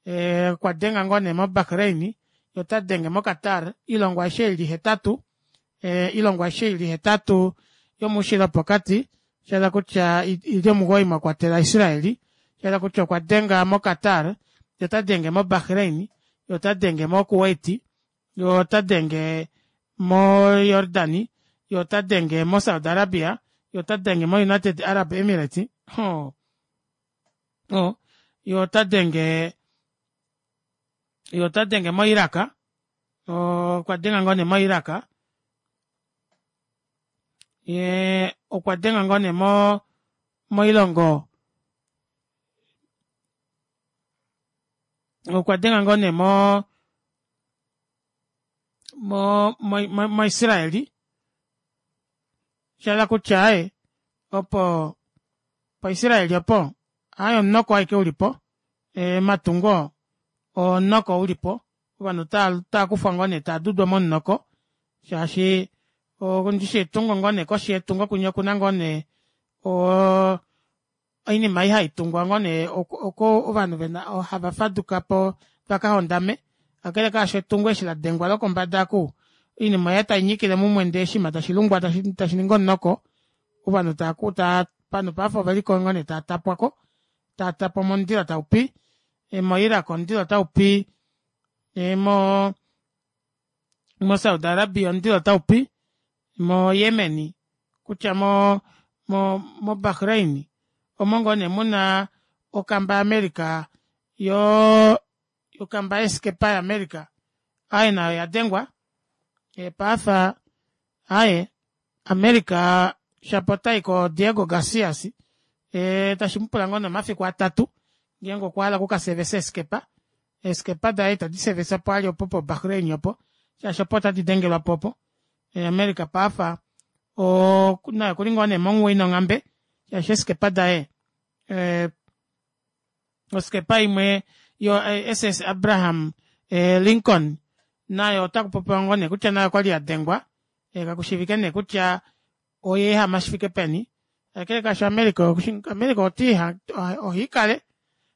e, okwa denga ngoo nee moBahrain ye ota denge moQatar oilongo aishe ili hetatu e, oilongo aishe ili hetatu yomuushilo wopokati sha kutya ili omugoyi mwa kwatela Israeli sha kutya okwa denga moQatar ye ota denge moBahrain ye ota denge moKuwait ye ota denge moJordani ye ota denge moSaudi Arabia ye ota denge moUnited Arab Emirates oh. Oh. ye ota denge ye ota denge moIraq okwa denga ngoo nee moIraq ye okwa denga ngoo nee mo moilongo okwa denga ngoo nee mo mo mo moIsraeli sha hala kutya aye opo. PaIsrael opo aaye omunoko aike ulipo omatungo omunoko ulipo ovanhu otava kufwa ngoo nee taadudwa momunoko shaashi ndishi etungo ngoo nee koshi yetungo kwinya okuna ngoo nee oo oinima ei haitungwa ngoo nee oko ovanhu vena hava fadukapo vakahondame kakele kaasho etungo eshi ladengwa lokombada oku oinima oya tainyikile mumwe ndee oshinima tashilungwa tashiningi omunoko ovanhu ovanhu paife oveliko ngoo nee taatapwako taatapwa momundilo taupi mo iraq omundilo otaupi mo saudi Arabia omundilo otaupi mo Yemen kutya mo mo Bahrain omo ngoo nee muna okamba ya America yoo okamba yeeskepa ya America aaye nayo oyadengwa paife aaye America shapo otayi ko Diego Garcias tashimupula ngoo nee omafiku atatu ngeenge okwahala oku kaservice eeskepa eeskepa daye ita diservice opo ali opo po Bahrain opo shaashi opo tadi dengelwapo opo America paife naye okuli ngoo nee monghuwo ina onghambe shaashi eeskepa daye oskepa imwe yo SS Abraham Lincoln nayo ota kupopiwa ngoo nee kutya nayo okwali yadengwa kakushiivike nee kutya oyeehama shifike peni kakele kaasho America America ohaikale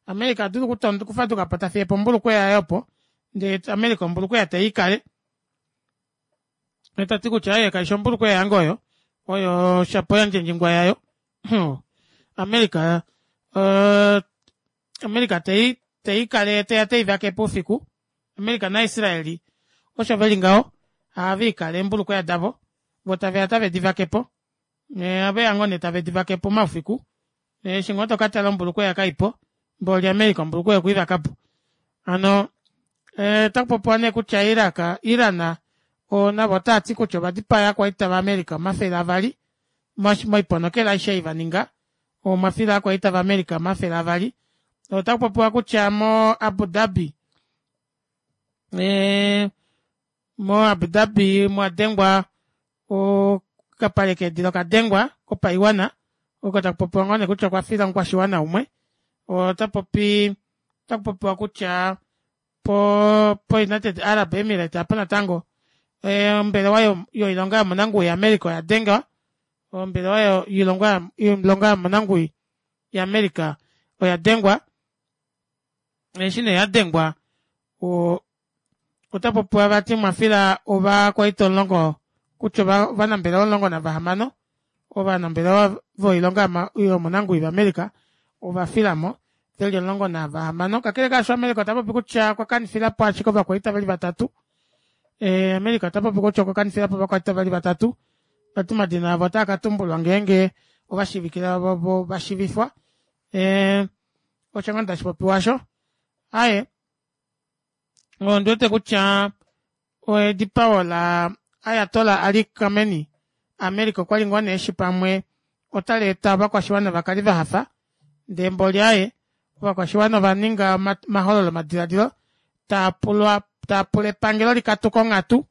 America adulu okufadukapo tafiyepo ombulukweya yaye opo ndee America ombulukweya teikale tati kutya aaye kaifi ombulukweya yange oyo oyo shapo yandjendjingwa yayo America America teikale teya teivakepo oufiku America na Israel osho veli ngaho ohaviikale eembulukweya davo voo taveya tave divakepo ohaveya ngoo nee tave divakepo omaufiku eshi ngoo tokatala ombulukweya kaipo mboli America ombulukweya okweivakapo hano otakupopiwa nee kutya Iraq Iran navo otaati kutya ovadipaya ovakwaita va America 200 moiponokela aishe ei vaninga omwafila ovakwaita va America 200 otakupopiwa kutya mo Abu Dhabi mo Abu Dhabi mwadengwa okapale keedila okadengwa kopaiwana oko takupopiwa ngoo nee kutya okwafila omukwashiwana umwe otapopi otakupopiwa kutya po po United Arab Emirates apo natango ombelewa yoilonga yomonanguwi ya America oya dengwa ombelewa yoilonga yomonanguwi ya America oya dengwa eshi nee yadengwa otapopiwa vati mwafila ovakwaita 10 kutya ovanambelewa 16 ovanambelewa voilonga yomonanguwi vaAmerica ovafilamo veli 16 kakele kaasho America otapopi kutya okwa kanifilapo ashike ovakwaita veli vatatu America otapopi kutya okwa kanifilapo ovakwaita veli vatatu vati omadina avo otaa katumbulwa ngeenge ovashiivikila vovo vashivifwa osho ngoo tashipopiwa osho aaye ondiwete kutya edipao la Ayatollah Ali Khamenei America okwali ngoo nee eshi pamwe otaleeta ovakwashiwana vakale vahafa ndee mboli aaye ovakwashiwana ovaninga omahololo madiladilo taapulwa taapula epangelo likatuke onghatu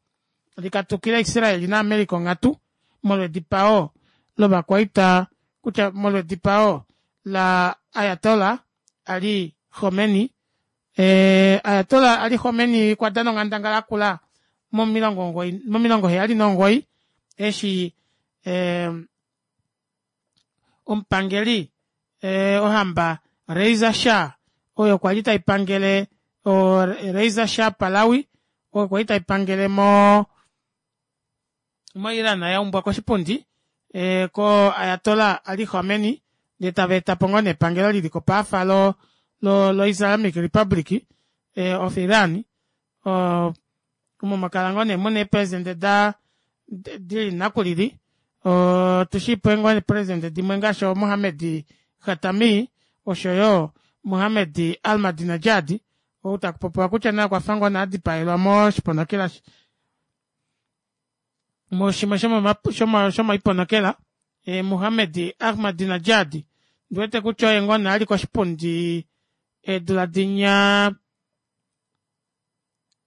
likatukile Israel na America onghatu molwedipao lovakwaita kutya molwedipao la Ayatollah Ali Khamenei Ayatollah Ali Khamenei okwa dana onghandangala yakula momilongo 79 eshi omupangeli ohamba Reza Shah oyo kwali taipangele Reza Shah Pahlavi oyo kwali taipangele mo Iran yaumbwa koshipundi ko Ayatollah Ali Khamenei ndee tava etapo ngoo nee epangelo liliko paafa lo lo Islamic Republic of Iran omo mwakala ngoo nee muna eepresidente da dili nakulili otushiipo ngoo eepresidente dimwe ngaashi Mohamed Khatami oshoyo Mohamed Ahmadinejad ou takupopiwa kutya naye okwafa ngoo nee adipaelwa moshiponokela mushimwe shomoiponokela Mohamed Ahmadinejad ndiwete kutya oye ngoo nee ali koshipundi eedula dinya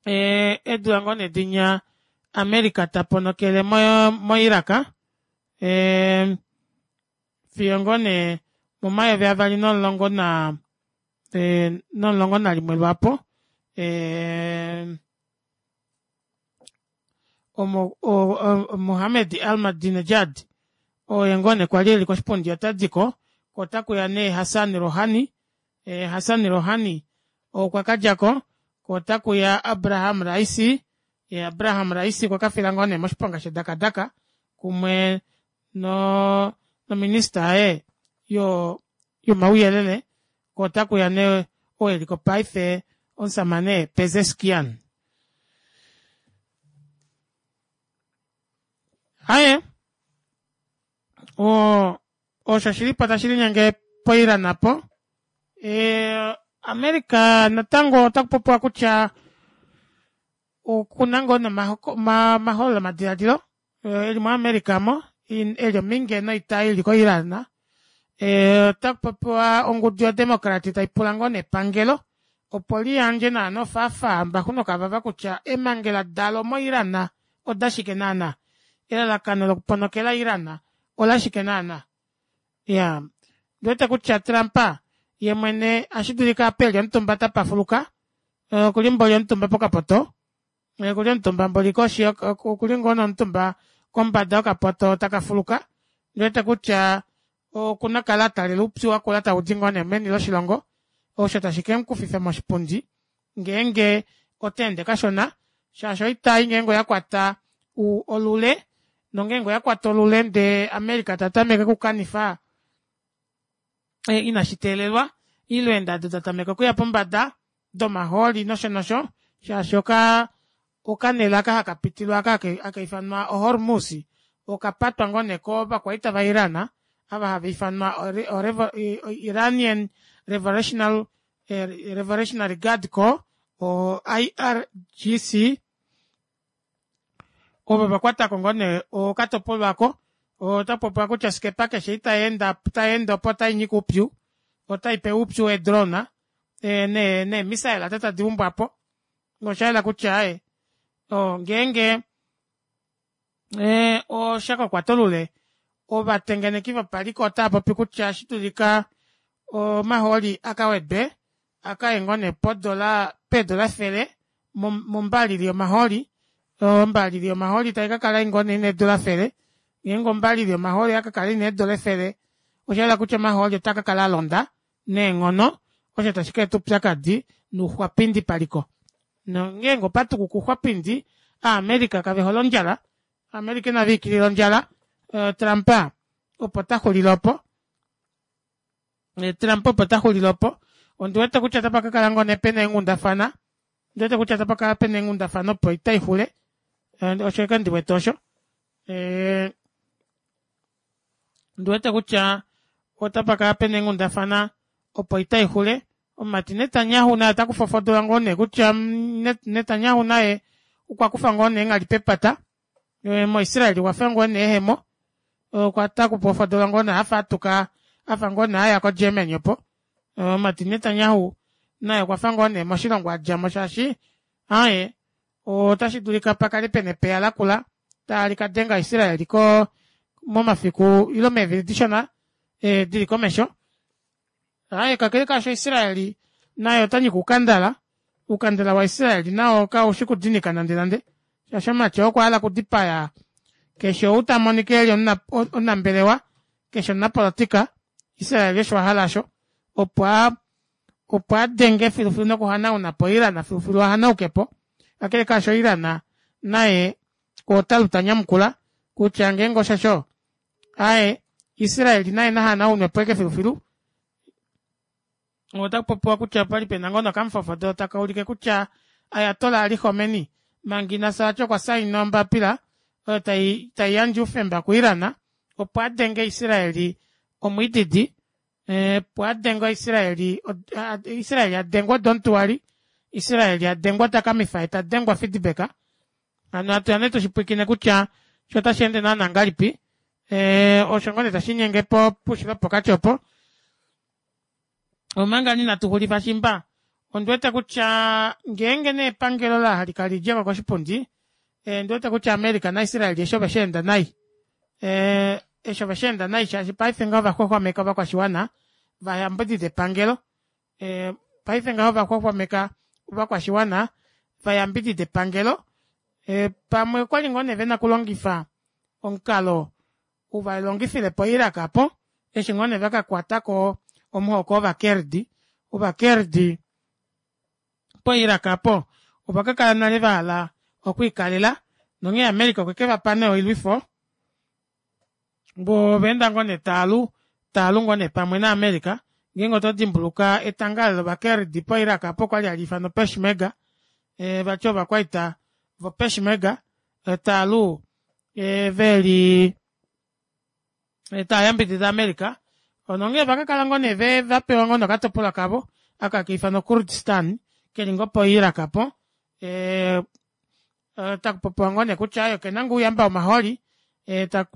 eedula ngoo nee dinya America taponokele mo Iraq fiyo ngoo nee Momayovi avali nomulongo na eh, nomulongo nalimwe lwaapo eh, omo Mohamed Ahmadinejad oye ngoo nee kwali eli koshipundi ota diko ko otakuya nee Hassan Rouhani eh, Hassan Rouhani okwa kadjako ko otakuya Abraham Raisi eh, Abraham Raisi okwa kafila ngoo nee moshiponga shedakadaka kumwe no nominista yaye yo yomauyelele ko otakuya nee oo eliko paife omusamane Pezeshkian Aye o osho shili po tashi linyenge poIran apo e, America natango otaku popiwa kutya okuna ngoo nomahololo madiladilo e li moAmerica mo e li ominge noita ili koIran e, otaku popiwa ongudu yoDemocrat tai pula ngoo nepangelo opo liyandje naana ofaafaa mbaxu nokavava kutya emangela dalo moIran odashike naana elalakano lokuponokela Iran olashike naana ya ndiwete kutya Trump ye mwene ashi dulika ape eli omutumba tapafuluka eh, okuli mboli omutumba pokapoto eh, okuli omutumba mboli koshi okuli ngoo nomutumba kombada yokapoto taka fuluka ndiwete kutya okuna kala atalela oupyu wakula tau di ngoo nee meni loshilongo osho tashi ke mukufifa moshipundi ngeenge ota ende kashona shaashi oitai ngeenge oya kwata olule nongeenge oya kwata olule ndee America ta tameke okukanifa e, inashi teelelwa ile eendado da tameka okuya pombada domahooli nosho nosho shaashi oka okanela aka haka pitilwa aka haka ifanwa oHormuz okapatwa ngoo nee kovakwaita vaIran ava hava ifanwa Iranian Revolutionary eh, Revolutionary Guard Corps o IRGC ovo va kwatako ngoo nee okatopolwa ako ota popiwa kutya osikepa keshe itai enda tai ende opo otai nyika oupyu otai pewa oupyu weedrona eh, nee neemisaela ado tadi umbwa po nosha yela kutya aye ngeenge eh, osha ka kwata olule ovatengeneki vopaliko otava popi kutya otashi dulika omahooli a ka wedwe a ka ye ngoo nee podola peedola efele mombalili yomahooli ombalili yomahooli tai ka kala ngoo nee ina eedola efele ngeenge ombalili yomahooli oya ka kala ina eedola efele osha yela kutya omahooli otaa ka kala a londa neenghono osho tashi ka eta oupyakadi nouxwapindi paliko nongeenge opa tukuka ouxwapindi Aamerika kave hole ondjala Aamerika inava ikilila ondjala eh, Trump opo ta xulile opo eh, Trump opo ta xulile opo ondi wete kutya otapa ka kala ngoo nee pena eenghundafana ondi wete kutya otapa kala pena eenghundafana opo itai xule eh, osho eke ndi wete osho ondi wete kutya otapa kala pena eenghundafana opo itai xule omumati Netanyahu naye ota kufofodola ngoo nee kutya mm, Netanyahu naye okwa kufa ngoo nee enghali pepata eh, moIsrael okwa fa ngoo nee ehemo okwa ta kufofodola ngoo nee afa atuka afa ngoo nee aya koGermany opo eh, omumati Netanyahu naye okwa fa ngoo nee moshilongo a dja mo shaashi aye otashi dulika pa kale pena epeya lakula tali ka denga Israel ko momafiku ile meevili dishona eh, dili komesho Aye, kakele kaasho Israeli naye ota nyika oukandala. Oukandala waIsraeli nao kau shi kudinika nandenande, shaashi omumati oo okwa hala okudipaya keshe ou ta monika e li omunambelewa, keshe omunapolotika. Israeli osho a hala osho, opo a opo a denge filufilu nokuhanauna po Iran filufilu a hanauke po. Kakele kaasho Iran naye ota lu ta nyamukula kutya ngeenge oshosho, Ae, Israel naye na hanaunwe po eke filufilu. Otaku popiwa kutya opali pena ngoo nokamufofodo taka ulike kutya Ayatollah Ali Khomeini manga ina fya vati okwa saina ombapila oyo tai tai yandje oufemba kuIran opo a denge Israel omwiididi eh, opo a denge Israel Israel a dengwa odontuwali Israel a dengwa takamifa ye ta dengwa feedback hano atu yane tushipwikine kutya sho otashi ende naana ngalipi eh, osho ngoo nee tashi inyenge po puushilo pokati opo omanga ninatu xulifa shimba ondi wete kutya ngeenge nee epangelo la halika lidje ko koshipundi eh, ndi wete kutya America naIsrael eshi ove shi enda nai eh, eshi ove shi enda nai shaashi paife ngaho ovaxwaxwameka ovakwashiwana Vayambidide epangelo. Paife ngaho ovaxwaxwameka ovakwashiwana vayambidide epangelo. Pamwe okwali ngoo nee vena okulongifa omukalo uvalongifile po Iraq aapo eshi ngoo nee vakakwatako omuhoko wovakurd. Ovakurd po Iraq aapo ovakakala nale vahala okwiikalela nonghee America okwe kevapa nee oilwifo voo ovaenda ngoo nee taalu taalu ngoo nee pamwe na America ngeenge oto dimbuluka etanga lovakurd po Iraq aapo okwali hali ifanwa Peshmerga vati ovakwaita vo Peshmerga taalu veli tayambidida America nonghee ovakakala ngoo nee ve vapewa ngoo nee okatopolwa kavo aka haka ifanwa Kurdistan keli ngoo po Iraq apo takupopiwa ngoo nee kutya okena ngoo ouyamba womahooli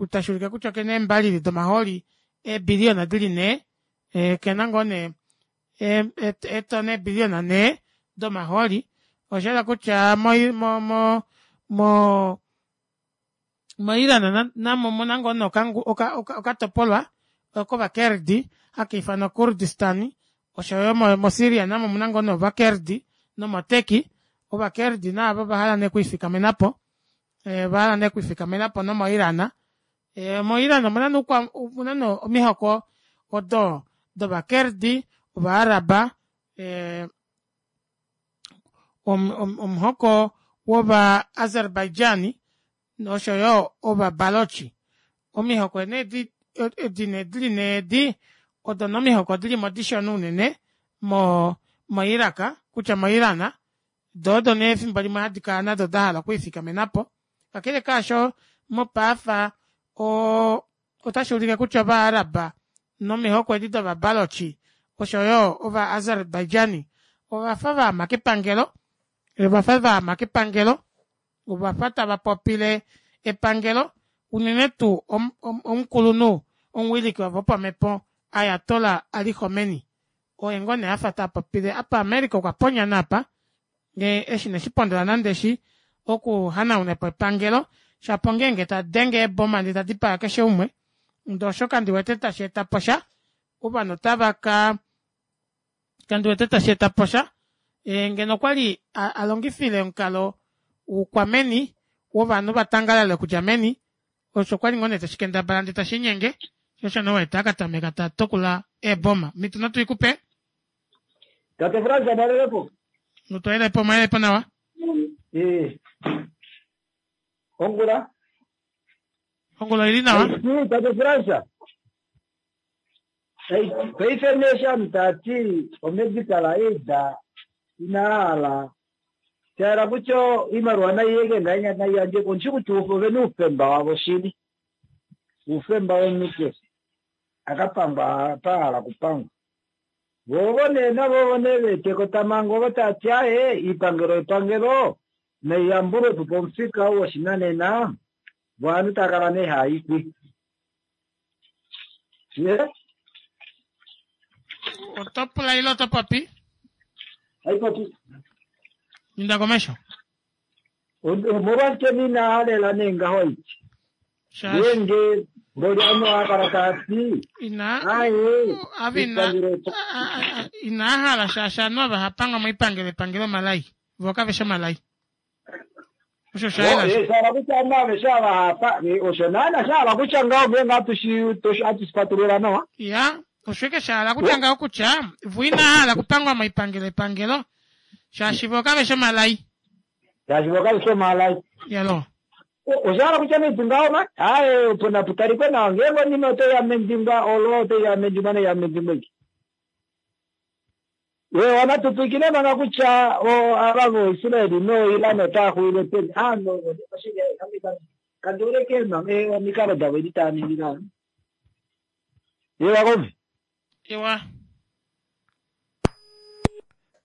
tashuulike kutya okena eembalili domahooli eebiliyona dili nhee okena ngoo nee eetona eebiliyona nhee domahooli oshayela kutya mo mo mo moIran namo omuna ngoo nee okatopolwa kovakurd haka ifanwa Kurdistan oshoyo moSyria namo omuna ngoo nee ovakurd nomoTurkey ovakurd naavo ovahala nee okwiifikamenapo ovahala nee okwiifikamenapo nomoIran moIran omuna nee omihoko odo dovakurd ova arab omuhoko wova Azerbaijan noshoyo ova Balochi. Omihoko nee edi edi nee dili nee edi odo nee omihoko dilimo dishona unene mo moIraq kutya moIran doo odo nee efimbo limwe hadi kala nado dahala okwiifikamenapo kakele kaasho mopaafa oo otashuulike kutya ova Arab nomihoko edi dova Balochi oshoyo ova Azerbaijani ovafa vaama kepangelo ovafa vaama kepangelo ovafa tava popile epangelo unene tuu omukulunhu omuwiliki wavo wopamepo Ayatollah Ali Khomeini oye ngoo nee afa tapopile apa America okwa ponyana apa eshi ineshipondola nande eshi okuhanaunapo epangelo shapo ongeenge tadenge eeboma ndee tadipaa keshe umwe ndee osho kandiwete tashi etapo sha ovanhu otava ka kandiwete tashi etapo sha ngeno okwali alongifile omukalo woukwameni wovanhu vatangalale okudja meni osho kwali ngoo nee tashi kendabala ndee tashiinyenge sho osho nee uwete akatameka tatukula eeboma mito natu ikupe Tate Frans amalelepo. Otwayelepo omwayelepo nawa. Eh. Ongula. Ongula oili nawa. Tate Frans. Paife nee shamu tati omedical aid ina hala shahala kutya oimaliwa nai yeke ngahenya nai yandje ko ndishi kutya ovena oufemba wavo shili oufemba womunhu keshe akapangwa apa ahala okupangwa vo ovo nee navo ovo nee veeteko tamango ovo tati aaye iipangelo yepangelo nai yambulwepo pomufika ou woshinanena vo ovanhu tava kala nee haayikwi ye Oto pula ile oto popi? Haipopi. Inda komesho. Omolwashike nina halela nee ngaho iti? Ngeenge mboli ovanhu ohava kala tava ti Ina aye ava ina inaa hala shaashi ovanhu ava hapangwa moipangelo epangelo omalai voo kave shi omalai. Osho osha yela osho. Sha hala kutya ovanhu aveshe ava hapa osho naana sha hala kutya ngaho ngeenge hatu shi hatu shi fatulula nawa. Ya, osho ike sha hala kutya ngaho kutya vo inaa hala okupangwa moipangelo epangelo shaashi vo kave shi omalai. Shaashi vo kave shi omalai. Yalo. Osha hala kutya naitu ngaho ma aaye opo napu talikwe nawa ngeenge onima otai ya mendingwa olo otai ya mendingwa nai ya mendingwa iki. Eewa natu pwiikine manga kutya ava voIsraeli noIran otava xuwile peni. Aanhu ovo oshili ame kandi hole omikalo davo edi tava ningi ngaho. Eewa kove. Ewa.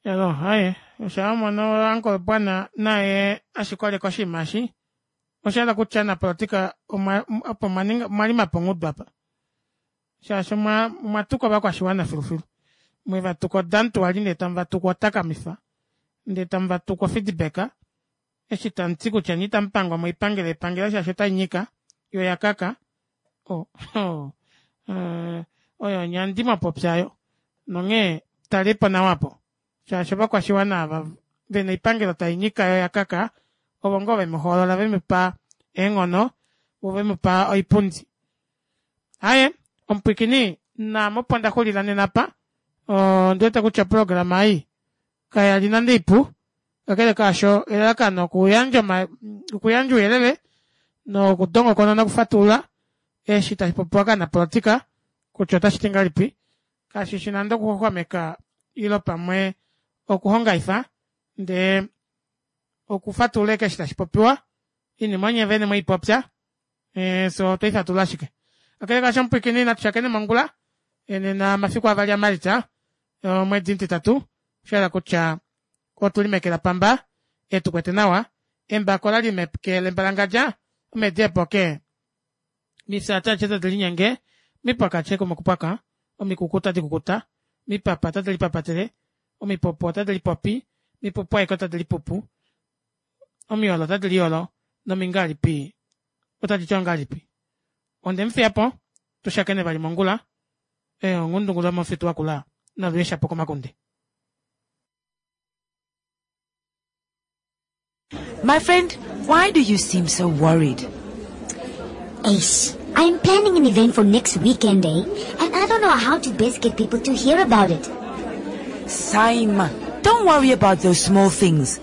Elo, haye, osha mono Uncle Bwana naye ashikoleka oshinima eshi. Osha hala kutya napolitika opo omwa lima pongudu apa. Shaashi omwa tuka ovakwashiwana filufilu. Mwe va tuka odantu wali ndee tamu va tuku otakamifa ndee tamu va tuku ofeedback eshi tamu ti kutya nye itamu pangwa moipangelo yepangelo shaashi otai nyika yo oya kaka. Oh, oh, oyo onyandi mwa popya yo. Nonghee talipo nawa po shaashi ovakwashiwana ava vena oipangelo tai nyika yo yakaka ovo ngoo vemu hoolola vemu pa eenghono vo vemu pa oipundi. Aye omupwikini naame opo nda xulila nena apa ondi wete kutya oprograma ei kaya li nande ipu kakele kaasho elalakano okuyandja okuyandja ouyelele nokudongokona nokufatulula eshi tashi popiwa kaanapolotika kutya otashi ti ngahelipi kashi shi nande okuxwaxwameka ile pamwe okuhongaifa ndee okufatulula eshi tashi popiwa inima onye vene mweipopya eh, so otwei fatulula ashike kakele kaasho omupwikini natu shakene mongula eh, nena mafiku avali aMalitsa omwedi omutitatu osha kutya otuli meke lapamba etu kwete nawa embako lali meke lembalangadja omedi epoke mifya ache tadi linyenge mipwaka ache komokupwaka omikuku tadi kukuta mipapa tadi lipapatele omipopo otadi lipopi mipupu aike otadi lipupu omiyolo otadi liyolo nomingalipi otadi ti ongalipi onde mu fiya po tu shakene vali mongula ongundungulu yomomufitu wakula naluye shapo komakunde. My friend, why do you seem so worried? Ace, I'm planning an event for next weekend, eh? And I don't know how to best get people to hear about it. Saima, don't worry about those small things.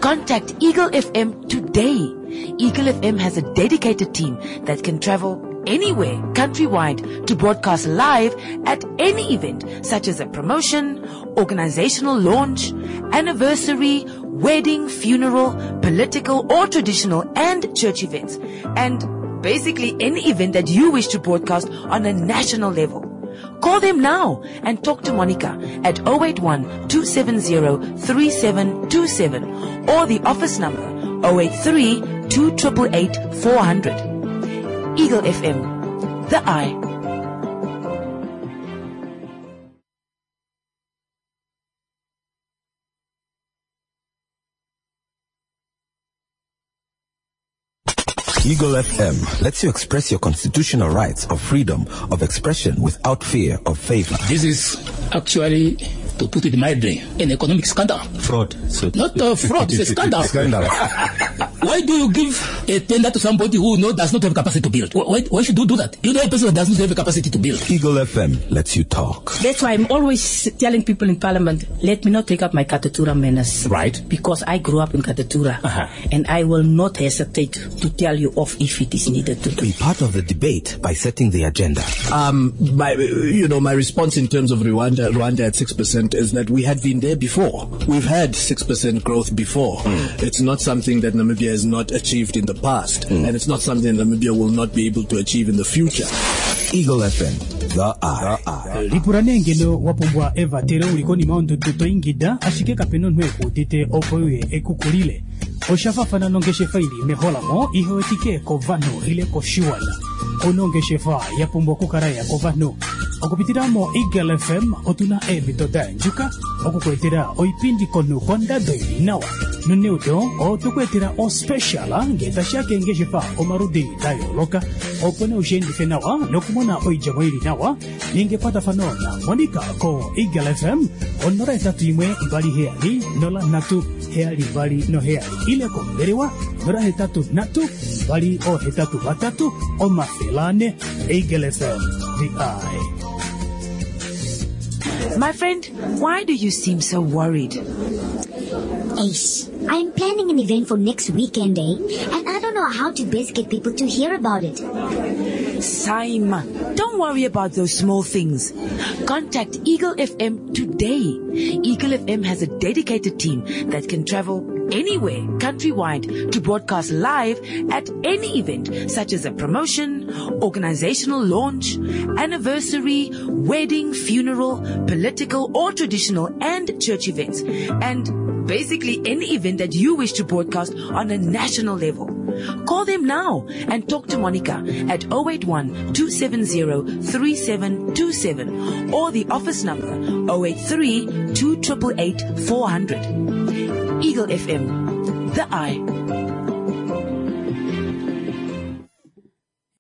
Contact Eagle FM today. Eagle FM has a dedicated team that can travel anywhere countrywide to broadcast live at any event such as a promotion, organizational launch, anniversary, wedding, funeral, political or traditional and church events. And basically any event that you wish to broadcast on a national level. Call them now and talk to Monica at 081 270 3727 or the office number 083 2888 400. Eagle FM, the eye. Eagle FM lets you express your constitutional rights of freedom of expression without fear of favor. This is actually, to put it mildly, an economic scandal. Fraud. So Not a fraud, it's a scandal. Scandal. Why do you give a tender to somebody who does not have capacity to build? Why should you do that? You know a person who does not have capacity to build. Eagle FM lets you talk. That's why I'm always telling people in Parliament, let me not take up my Katutura manners. Right. Because I grew up in Katutura. Uh-huh. And I will not hesitate to tell you off if it is needed to do. Be part of the debate by setting the agenda. My response in terms of Rwanda at 6% is that we had been there before. We've had 6% growth before. It's not something that Namibia has not achieved in the past, and it's not something Namibia will not be able to achieve in the future. Eagle FM, the eye. Lipula nee ngeno wa pumbwa evatelo uli konima yondudu to ingida ashike kapena omunhu ekuudite opo uye ekukulile. Osha fafana nongeshefa ili meholamo ihewetike kovanhu ile koshiwana. Onongeshefa ya pumbwa okukala ya kovanhu. Okupitila mo Eagle FM otuna eemhito da andjuka okukuetela oipindi komunhu kondado ili nawa. Noneudo otokuetela ospecial ngee tashiya keengeshefa omaludi da yooloka opo nee ushiendife nawa nokumona oidjemo ili nawa. Ninga ekwatafano na Monica ko Eagle FM 081 27 03 72 7 ile kombelewa 083 283 400. Eagle FM, the eye. My friend, why do you seem so worried? Ace, I'm planning an event for next weekend, eh? And I don't know how to best get people to hear about it. Saima, don't worry about those small things. Contact Eagle FM today. Eagle FM has a dedicated team that can travel anywhere countrywide to broadcast live at any event such as a promotion, organizational launch, anniversary, wedding, funeral, political or traditional and church events, and basically any event that you wish to broadcast on a national level. Call them now and talk to Monica at 081 270 3727 or the office number 083 2888 400. Eagle FM, the eye.